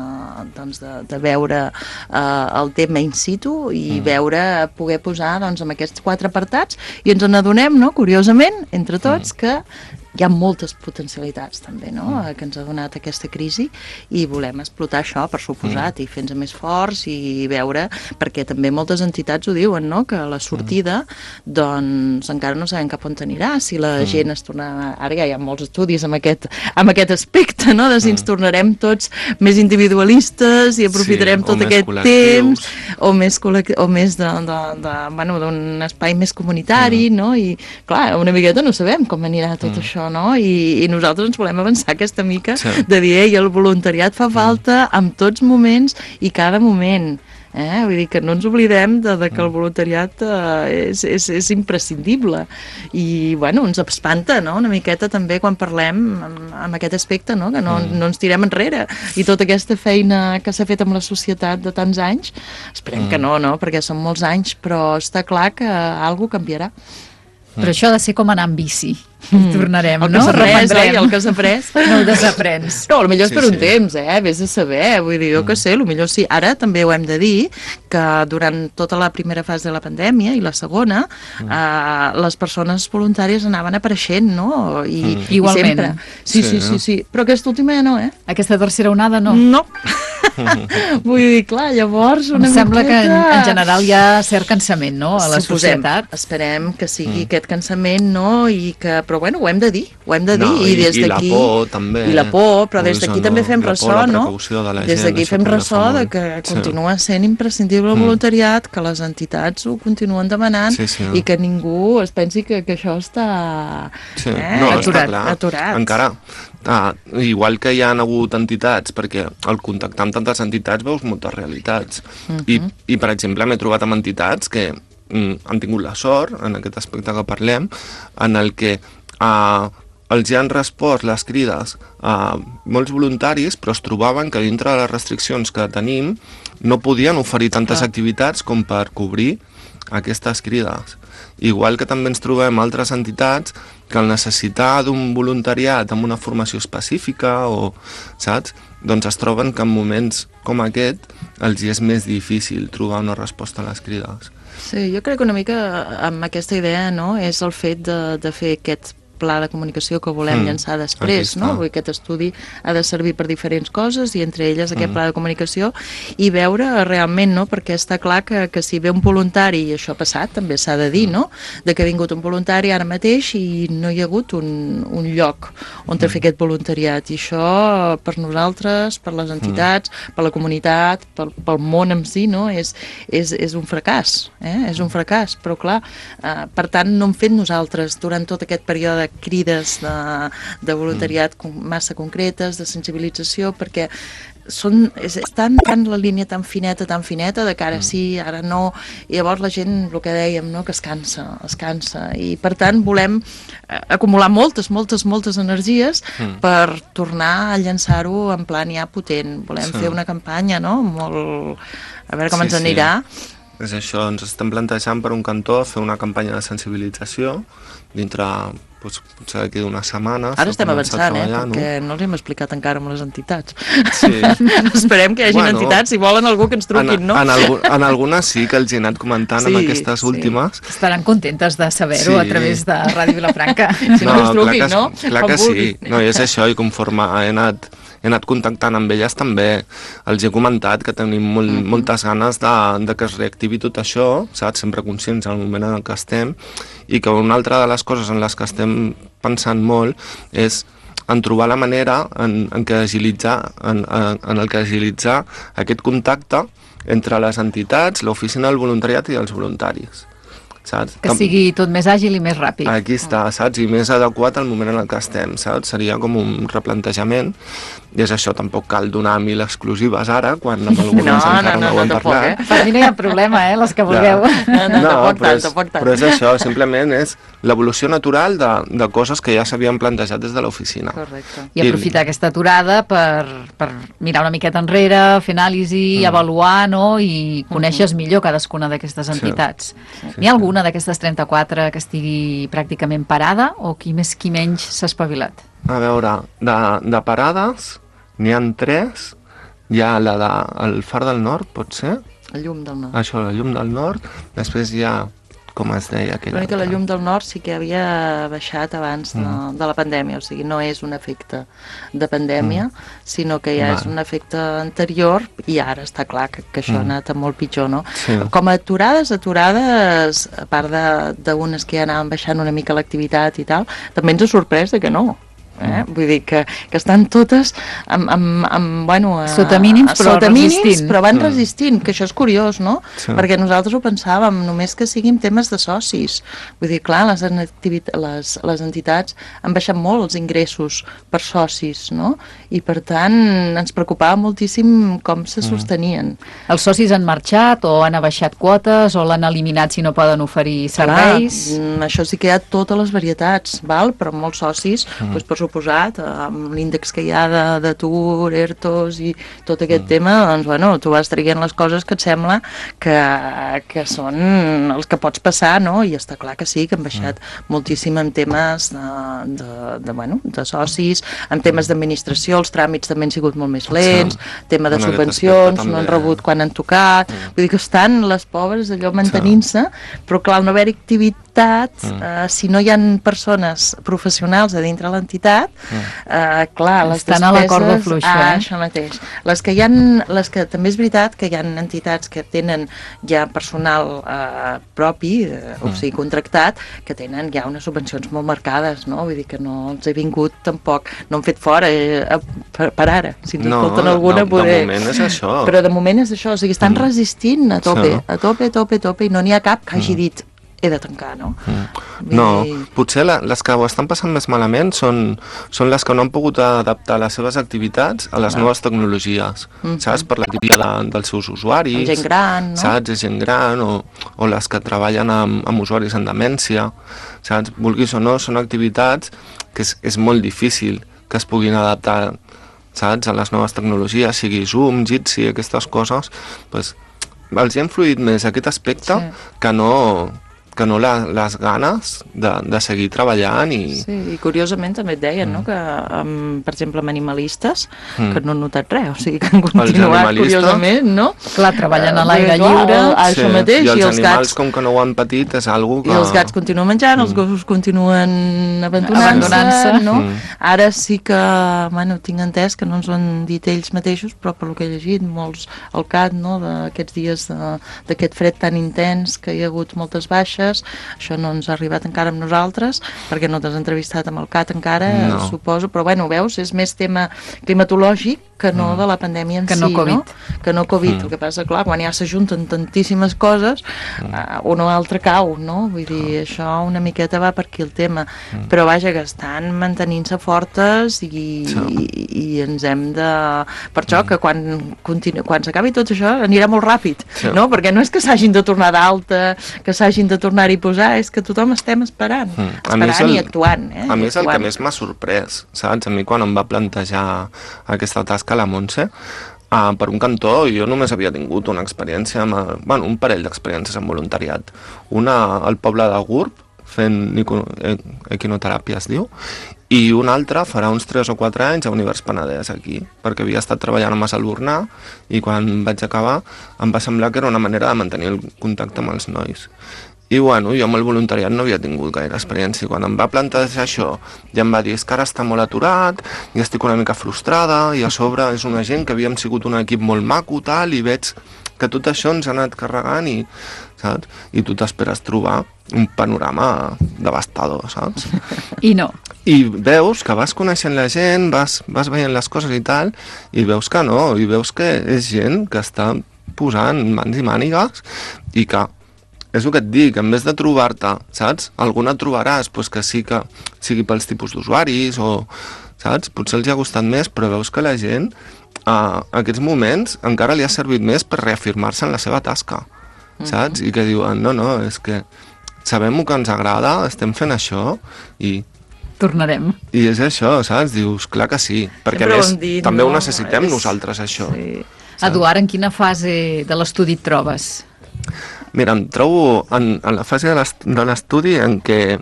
Speaker 10: doncs de, de veure uh, el tema in situ i mm. veure, poder posar doncs, en aquests quatre apartats, i ens n'adonem, no? Curiosament, entre tots, mm. que hi ha moltes potencialitats també, no? Mm. que ens ha donat aquesta crisi, i volem explotar això, per suposat, mm. i fer-nos més forts i veure, perquè també moltes entitats ho diuen, no? Que la sortida mm. doncs encara no sabem cap on anirà, si la mm. gent es torna... Ara ja hi ha molts estudis amb aquest, amb aquest aspecte, no? De si ens tornarem tots més individualistes i aprofitarem sí, tot aquest temps, o més, o més de, de, de, bueno, d'un espai més comunitari, mm. no? I clar, una miqueta no sabem com anirà tot mm. això, no? I, i nosaltres ens volem avançar aquesta mica sí. de dir, ei, el voluntariat fa falta en tots moments i cada moment. Eh? Vull dir que no ens oblidem de, de que el voluntariat eh, és, és, és imprescindible, i bueno, ens espanta, no? Una miqueta també quan parlem amb, amb aquest aspecte, no? Que no, no ens tirem enrere, i tota aquesta feina que s'ha fet amb la societat de tants anys, esperem mm. que no, no? Perquè són molts anys, però està clar que alguna cosa canviarà.
Speaker 1: Però això ha de ser com anar amb bici. Mm. Tornarem,
Speaker 10: el
Speaker 1: no?
Speaker 10: El que s'ha après, eh? El que s'ha après.
Speaker 1: No ho desaprens.
Speaker 10: No, potser és
Speaker 11: sí,
Speaker 10: per un
Speaker 11: sí.
Speaker 10: temps, eh? Vés a saber. Vull dir, jo mm. que sé, potser sí. Ara també ho hem de dir, que durant tota la primera fase de la pandèmia i la segona, mm. eh, les persones voluntàries anaven apareixent, no? I,
Speaker 1: mm. Igualment.
Speaker 10: I sempre. Sí, sí, sí, sí, sí. Però aquesta última ja no, eh?
Speaker 1: Aquesta tercera onada no?
Speaker 10: No. Vull dir, clar, llavors una
Speaker 1: Em sembla
Speaker 10: miqueta...
Speaker 1: que en, en general hi ha cert cansament, no?, a la
Speaker 10: Suposem,
Speaker 1: societat.
Speaker 10: esperem que sigui
Speaker 11: Mm.
Speaker 10: aquest cansament, no? I que, però bueno, ho hem de dir, ho hem de dir.
Speaker 11: No,
Speaker 10: I,
Speaker 11: i-
Speaker 10: des
Speaker 11: i la
Speaker 10: d'aquí...
Speaker 11: por, també.
Speaker 10: I la por, però des d'aquí
Speaker 11: Això,
Speaker 10: també
Speaker 11: no?
Speaker 10: fem
Speaker 11: La por,
Speaker 10: ressò,
Speaker 11: la
Speaker 10: no?
Speaker 11: precaució de la
Speaker 10: Des
Speaker 11: gent,
Speaker 10: d'aquí
Speaker 11: això
Speaker 10: fem
Speaker 11: també fa
Speaker 10: ressò de
Speaker 11: molt.
Speaker 10: que
Speaker 11: Sí.
Speaker 10: continua sent imprescindible el
Speaker 11: Mm.
Speaker 10: voluntariat, que les entitats ho continuen demanant
Speaker 11: Sí, sí.
Speaker 10: i que ningú es pensi que, que això està
Speaker 11: Sí,
Speaker 10: eh,
Speaker 11: no,
Speaker 10: aturat,
Speaker 11: està clar.
Speaker 10: aturat.
Speaker 11: Encara, ah, igual que hi ha hagut entitats, perquè al contactar amb tantes entitats veus moltes realitats.
Speaker 10: Mhm.
Speaker 11: I, I, per exemple, m'he trobat amb entitats que mm, han tingut la sort, en aquest aspecte que parlem, en el que ah, els hi han respost les crides a molts voluntaris, però es trobaven que dintre de les restriccions que tenim no podien oferir tantes
Speaker 10: Clar.
Speaker 11: activitats com per cobrir aquestes crides. Igual que també ens trobem altres entitats que al necessitar d'un voluntariat amb una formació específica o, saps? Doncs es troben que en moments com aquest els hi és més difícil trobar una resposta a les crides.
Speaker 10: Sí, jo crec que una mica amb aquesta idea, no?, és el fet de, de fer aquest pla de comunicació que volem
Speaker 11: Mm,
Speaker 10: llançar
Speaker 11: aquí
Speaker 10: després,
Speaker 11: està.
Speaker 10: no? Vull dir, aquest estudi ha de servir per diferents coses i entre elles aquest
Speaker 11: Mm.
Speaker 10: pla de comunicació i veure realment, no?, perquè està clar que, que si ve un voluntari, i això ha passat, també s'ha de dir, no?, de que ha vingut un voluntari ara mateix i no hi ha hagut un, un lloc on mm. fer aquest voluntariat, i això per nosaltres, per les entitats, mm. per la comunitat, pel, pel món en si, no?, és, és, és un fracàs, eh? És un fracàs, però clar, eh, per tant no hem fet nosaltres durant tot aquest període crides de, de voluntariat mm. massa concretes, de sensibilització, perquè són, és, és tan, tan la línia tan fineta, tan fineta, de que ara sí, ara no, i llavors la gent, el que dèiem, no?, que es cansa, es cansa, i per tant volem eh, acumular moltes, moltes, moltes energies
Speaker 11: Mm.
Speaker 10: per tornar a llançar-ho en plan ja potent. Volem
Speaker 11: Sí.
Speaker 10: fer una campanya, no?, molt... A veure com
Speaker 11: Sí,
Speaker 10: ens
Speaker 11: sí.
Speaker 10: anirà.
Speaker 11: És això, ens estem plantejant per un cantó fer una campanya de sensibilització dintre, doncs, potser d'aquí d'unes setmanes.
Speaker 10: Ara estem
Speaker 11: començar a
Speaker 10: avançant, eh,
Speaker 11: treballar,
Speaker 10: perquè no els hem explicat encara amb les entitats.
Speaker 11: Sí.
Speaker 10: Esperem que hi hagi
Speaker 11: Bueno,
Speaker 10: entitats, si volen algú que ens truquin,
Speaker 11: en,
Speaker 10: no?
Speaker 11: En, algu en algunes sí que els he anat comentant
Speaker 10: Sí,
Speaker 11: en aquestes
Speaker 10: sí.
Speaker 11: últimes.
Speaker 1: Estaran contentes de saber-ho
Speaker 11: Sí.
Speaker 1: a través de Ràdio Vilafranca.
Speaker 10: Si no, ens truquin,
Speaker 11: clar que,
Speaker 10: no?
Speaker 11: Clar
Speaker 10: Com
Speaker 11: que sí,
Speaker 10: vulguin.
Speaker 11: no, i és això, i conforme he anat, he anat contactant amb elles també els he comentat que tenim molt,
Speaker 10: Mhm.
Speaker 11: moltes ganes de, de que es reactivi tot això, saps? Sempre conscients al moment en què estem, i que una altra de les coses en les que estem pensant molt és en trobar la manera en, en, què agilitzar, en, en, en el que agilitzar aquest contacte entre les entitats, l'oficina del voluntariat i els voluntaris. Saps?
Speaker 1: Que sigui tot més àgil i més ràpid.
Speaker 11: Aquí està, saps? I més adequat al moment en el que estem, saps? Seria com un replantejament, i és això, tampoc cal donar mil exclusives ara, quan amb algunes
Speaker 10: No,
Speaker 11: encara
Speaker 10: no,
Speaker 11: no,
Speaker 10: no,
Speaker 11: ho hem
Speaker 10: tampoc,
Speaker 11: parlat.
Speaker 10: eh?
Speaker 1: Per mi no hi ha problema, eh, les que vulgueu.
Speaker 10: No, no, tampoc
Speaker 11: però,
Speaker 10: tant,
Speaker 11: és,
Speaker 10: tampoc tant.
Speaker 11: però és això, simplement és l'evolució natural de, de coses que ja s'havien plantejat des de l'oficina.
Speaker 10: Correcte.
Speaker 1: I aprofitar aquesta aturada per, per mirar una miqueta enrere, fer anàlisi, mm. avaluar, no?, i coneixes millor cadascuna d'aquestes entitats.
Speaker 11: Sí,
Speaker 1: N'hi ha alguna d'aquestes trenta-quatre que estigui pràcticament parada o qui més qui menys s'ha espavilat?
Speaker 11: A veure, de, de parades n'hi han tres. Hi ha la de el Far del Nord, pot ser?
Speaker 10: La llum del nord.
Speaker 11: Això, la llum del nord. Després hi ha, com es deia aquella
Speaker 10: L'únic que la
Speaker 11: altra?
Speaker 10: llum del nord sí que havia baixat abans de,
Speaker 11: Mm.
Speaker 10: de la pandèmia, o sigui, no és un efecte de pandèmia,
Speaker 11: Mm.
Speaker 10: sinó que ja
Speaker 11: Val.
Speaker 10: és un efecte anterior, i ara està clar que, que això
Speaker 11: Mm.
Speaker 10: ha anat a molt pitjor, no?
Speaker 11: Sí.
Speaker 10: Com a aturades, aturades, a part de- d'unes que ja anaven baixant una mica l'activitat i tal, també ens ha sorprès de que no. Eh? Vull dir que, que estan totes amb, amb, amb, bueno, a,
Speaker 1: Sota mínims, però
Speaker 10: sota mínims,
Speaker 1: resistint.
Speaker 10: però van
Speaker 11: Mm.
Speaker 10: resistint, que això és curiós, no?
Speaker 11: Sí.
Speaker 10: Perquè nosaltres ho pensàvem, només que siguin temes de socis. Vull dir, clar, les, les, les entitats han baixat molt els ingressos per socis, no? I per tant ens preocupava moltíssim com se sostenien.
Speaker 1: Els socis han marxat o han abaixat quotes o l'han eliminat si no poden oferir serveis?
Speaker 10: Clar, mm, això sí que hi ha totes les varietats, val? Però molts socis,
Speaker 11: Mm.
Speaker 10: doncs, per suposat, amb l'índex que hi ha de- d'atur, ERTOs i tot aquest
Speaker 11: Mm.
Speaker 10: tema, doncs, bueno, tu vas traient les coses que et sembla que, que són els que pots passar, no? I està clar que sí, que han baixat
Speaker 11: Mm.
Speaker 10: moltíssim en temes de, de, de, bueno, de socis, en temes d'administració, els tràmits també han sigut molt més lents,
Speaker 11: Sí.
Speaker 10: tema de
Speaker 11: En aquest
Speaker 10: subvencions,
Speaker 11: aspecte
Speaker 10: no han
Speaker 11: també.
Speaker 10: rebut quan han tocat, vull dir que estan les pobres allò mantenint-se, però clar, no haver-hi activi contractat, mm. eh, si no hi ha persones professionals a dintre l'entitat, mm. eh, clar, les
Speaker 1: estan
Speaker 10: despeses...
Speaker 1: a la corda fluixa,
Speaker 10: ah,
Speaker 1: eh?
Speaker 10: Això mateix. Les que hi ha, les que també és veritat que hi ha entitats que tenen ja personal eh, propi, eh, mm. o sigui, contractat, que tenen ja unes subvencions molt marcades, no? Vull dir que no els he vingut tampoc, no han fet fora eh, per, per ara. Si ens
Speaker 11: no,
Speaker 10: escolten alguna,
Speaker 11: no,
Speaker 10: poder...
Speaker 11: de moment és això.
Speaker 10: Però de moment és això, o sigui, estan mm. resistint a tope, sí. a tope, a tope, a tope, i no n'hi ha cap que hagi dit he de tancar, no?
Speaker 11: Mm. No, potser la, les que ho estan passant més malament són, són les que no han pogut adaptar les seves activitats a les no. noves tecnologies, mm. saps? Per la tipia de, dels seus usuaris,
Speaker 10: gent gran, no?
Speaker 11: Saps? És gent gran, o, o les que treballen amb, amb usuaris en demència, saps? Vulguis o no, són activitats que és, és molt difícil que es puguin adaptar, saps? A les noves tecnologies, sigui Zoom, Jitsi, aquestes coses, doncs els hi ha influït més aquest aspecte sí. que no... que no la, les ganes de, de seguir treballant i...
Speaker 10: Sí, i curiosament també et deien, mm. no?, que, um, per exemple, amb animalistes, mm. que no han notat res, o sigui, que han continuat curiosament, no?
Speaker 1: Clar, treballant a
Speaker 10: uh,
Speaker 1: l'aire lliure...
Speaker 10: Uh,
Speaker 11: sí.
Speaker 10: Això mateix,
Speaker 11: i els,
Speaker 10: i els
Speaker 11: animals,
Speaker 10: gats...
Speaker 11: com que no ho han patit, és algo que...
Speaker 10: I els gats continuen menjant, mm. els gossos continuen abandonant-se,
Speaker 1: abandonant
Speaker 10: no?
Speaker 11: Mm.
Speaker 10: Ara sí que, bueno, tinc entès que no ens ho han dit ells mateixos, però per lo que he llegit, molts, el cat, no?, d'aquests dies d'aquest fred tan intens, que hi ha hagut moltes baixes, això no ens ha arribat encara amb nosaltres, perquè no t'has entrevistat amb el cat encara, no. suposo, però bueno, veus, és més tema climatològic que no mm. de la pandèmia en
Speaker 1: que
Speaker 10: si,
Speaker 1: no Covid.
Speaker 10: no? Que no Covid. Mm. El que passa, clar, quan ja s'ajunten tantíssimes coses, mm. uh, un o altre cau, no? Vull dir, mm. això una miqueta va per aquí el tema. Mm. Però vaja, que estan mantenint-se fortes i, sí. i, i ens hem de... Per això mm. que quan, continu... quan s'acabi tot això anirà molt ràpid, sí. no? Perquè no és que s'hagin de tornar d'alta, que s'hagin de tornar-hi a posar, és que tothom estem esperant, mm. esperant
Speaker 11: el,
Speaker 10: i actuant. Eh?
Speaker 11: A mi és el
Speaker 10: actuant.
Speaker 11: que més m'ha sorprès, saps? A mi quan em va plantejar aquesta tasca a la Montse, uh, per un cantó jo només havia tingut una experiència, amb, bueno, un parell d'experiències en voluntariat. Una al poble de Gurb, fent equinoteràpia es diu, i una altra farà uns tres o quatre anys a Univers Penedès aquí, perquè havia estat treballant a Massalbornà i quan vaig acabar em va semblar que era una manera de mantenir el contacte amb els nois. I bueno, jo amb el voluntariat no havia tingut gaire experiència. Quan em va plantejar això, ja em va dir, és que ara està molt aturat, i estic una mica frustrada, i a sobre és una gent que havíem sigut un equip molt maco, tal, i veig que tot això ens ha anat carregant, i, saps? I tu t'esperes trobar un panorama devastador, saps?
Speaker 1: I no.
Speaker 11: I veus que vas coneixent la gent, vas, vas veient les coses i tal, i veus que no, i veus que és gent que està posant mans i mànigues, i que és el que et dic, en vez de trobar-te, saps? Alguna et trobaràs, doncs que sí que sigui pels tipus d'usuaris o, saps? Potser els ha gustat més, però veus que la gent a aquests moments encara li ha servit més per reafirmar-se en la seva tasca, saps? I que diuen, no, no, és que sabem el que ens agrada, estem fent això i...
Speaker 1: Tornarem.
Speaker 11: I és això, saps? Dius, clar que sí, perquè
Speaker 10: Sempre
Speaker 11: a més
Speaker 10: dit,
Speaker 11: també
Speaker 10: no,
Speaker 11: ho necessitem
Speaker 10: és...
Speaker 11: nosaltres, això.
Speaker 10: Sí.
Speaker 1: Eduard, en quina fase de l'estudi et trobes?
Speaker 11: Mira, em trobo en, en la fase de l'estudi en què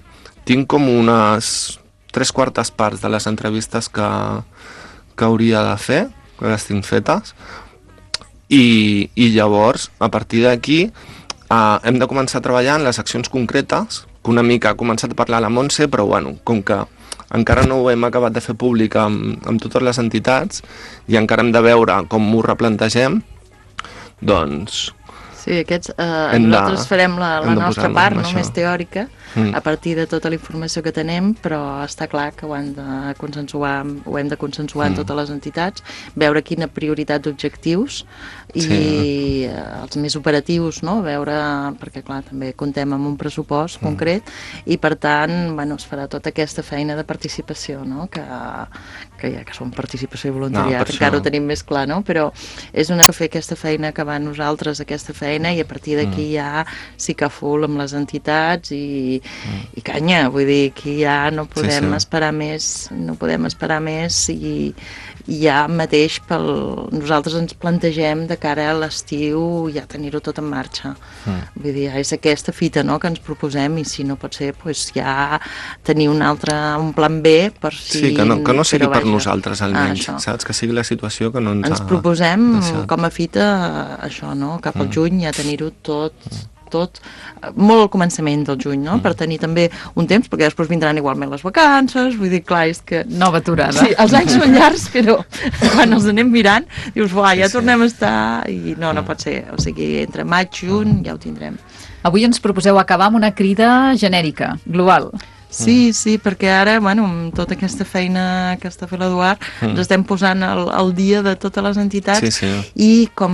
Speaker 11: tinc com unes tres quartes parts de les entrevistes que, que hauria de fer, que les tinc fetes, i, i llavors, a partir d'aquí, eh, hem de començar a treballar en les accions concretes, que una mica ha començat a parlar la Montse, però bueno, com que encara no ho hem acabat de fer públic amb, amb totes les entitats i encara hem de veure com ho replantegem, doncs...
Speaker 10: Sí, aquests, eh, nosaltres de, farem la, la nostra part, no, més teòrica, mm. a partir de tota la informació que tenem, però està clar que ho hem de consensuar, ho hem de consensuar mm. en totes les entitats, veure quina prioritat d'objectius i sí. eh, els més operatius, no? Veure, perquè clar, també contem amb un pressupost mm. concret i per tant, bueno, es farà tota aquesta feina de participació, no? Que, que ja que som participació i voluntariat, no, encara ho tenim més clar, no? Però és una que fer aquesta feina que va a nosaltres, aquesta feina, i a partir d'aquí mm. ja sí que full amb les entitats i, mm. i canya, vull dir, aquí ja no podem sí, sí. esperar més, no podem esperar més i, i ja mateix pel, nosaltres ens plantegem de cara a l'estiu ja tenir-ho tot en marxa. Mm. Vull dir, ja és aquesta fita, no?, que ens proposem i si no pot ser, doncs ja tenir un altre, un plan B per si...
Speaker 11: Sí, que no, que no sigui per nosaltres almenys, ah, saps? Que sigui la situació que no ens
Speaker 10: Ens
Speaker 11: ha
Speaker 10: proposem
Speaker 11: deixat.
Speaker 10: Com a fita això, no?, cap al mm. juny ja tenir-ho tot tot molt al començament del juny, no? Mm. Per tenir també un temps, perquè després vindran igualment les vacances, vull dir, clar, és que...
Speaker 1: Nova aturada.
Speaker 10: Sí, els anys són llargs, però quan els anem mirant, dius, uah, ja tornem a estar, i no, no pot ser, o sigui, entre maig, juny, ja ho tindrem.
Speaker 1: Avui ens proposeu acabar amb una crida genèrica, global.
Speaker 10: Sí, sí, perquè ara, bueno, amb tota aquesta feina que està fent l'Eduard, mm. ens estem posant al, al dia de totes les entitats
Speaker 11: sí, sí.
Speaker 10: i, com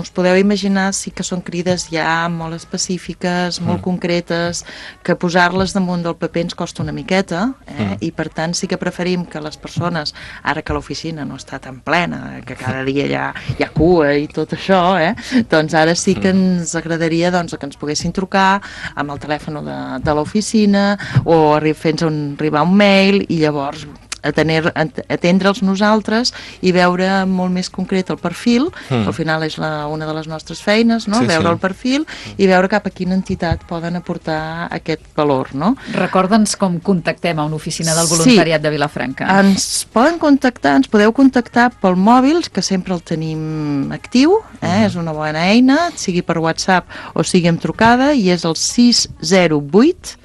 Speaker 10: us podeu imaginar, sí que són crides ja molt específiques, molt mm. concretes, que posar-les damunt del paper ens costa una miqueta, eh? mm. i per tant sí que preferim que les persones, ara que l'oficina no està tan plena, que cada dia hi ha, hi ha cua i tot això, eh? doncs ara sí que ens agradaria doncs, que ens poguessin trucar amb el telèfon de, de l'oficina o fent arribar un mail i llavors atendre'ls nosaltres i veure molt més concret el perfil, mm. al final és la, una de les nostres feines, no? sí, veure sí. el perfil i veure cap a quina entitat poden aportar aquest valor. No?
Speaker 1: Recorda'ns com contactem a una oficina del voluntariat sí. de Vilafranca.
Speaker 10: Ens poden contactar, ens podeu contactar pel mòbil, que sempre el tenim actiu, eh? mm. és una bona eina, sigui per WhatsApp o sigui amb trucada, i és el sis zero vuit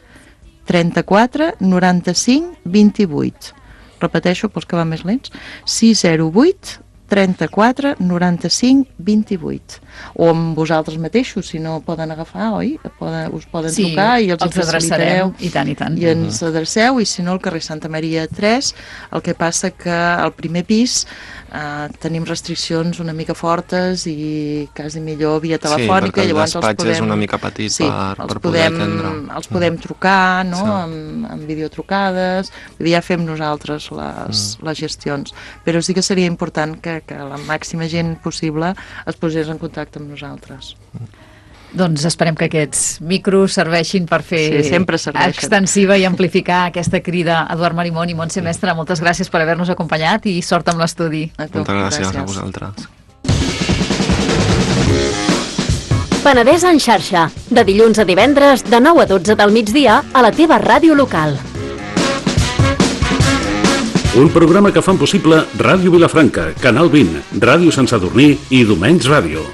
Speaker 10: trenta-quatre noranta-cinc vint-i-vuit. Repeteixo pels que van més lents. sis zero vuit trenta-quatre noranta-cinc vint-i-vuit. O amb vosaltres mateixos, si no poden agafar, oi? Poden, us poden
Speaker 1: sí,
Speaker 10: trucar i els,
Speaker 1: els adreçareu. I tant, i tant.
Speaker 10: I ens adreceu, i si no, al carrer Santa Maria tres, el que passa que al primer pis Uh, tenim restriccions una mica fortes i quasi millor via telefònica.
Speaker 11: Sí, perquè el
Speaker 10: llavors
Speaker 11: despatx
Speaker 10: podem,
Speaker 11: és una mica petit sí, per, per poder
Speaker 10: podem,
Speaker 11: atendre.
Speaker 10: Els podem trucar, no?,
Speaker 11: sí.
Speaker 10: amb, amb videotrucades, ja fem nosaltres les, mm. les gestions. Però sí que seria important que, que la màxima gent possible es posés en contacte amb nosaltres.
Speaker 1: Mm. Doncs esperem que aquests micros serveixin per fer
Speaker 10: sí,
Speaker 1: extensiva i amplificar aquesta crida. Eduard Marimón i Montse Mestre, moltes gràcies per haver-nos acompanyat i sort amb l'estudi.
Speaker 11: Moltes gràcies, gràcies a vosaltres.
Speaker 2: Penedès en xarxa, de dilluns a divendres de nou a dotze del migdia a la teva ràdio local.
Speaker 9: Un programa que fan possible Ràdio Vilafranca, Canal vint, Ràdio Sant Sadurní i Domenys Ràdio.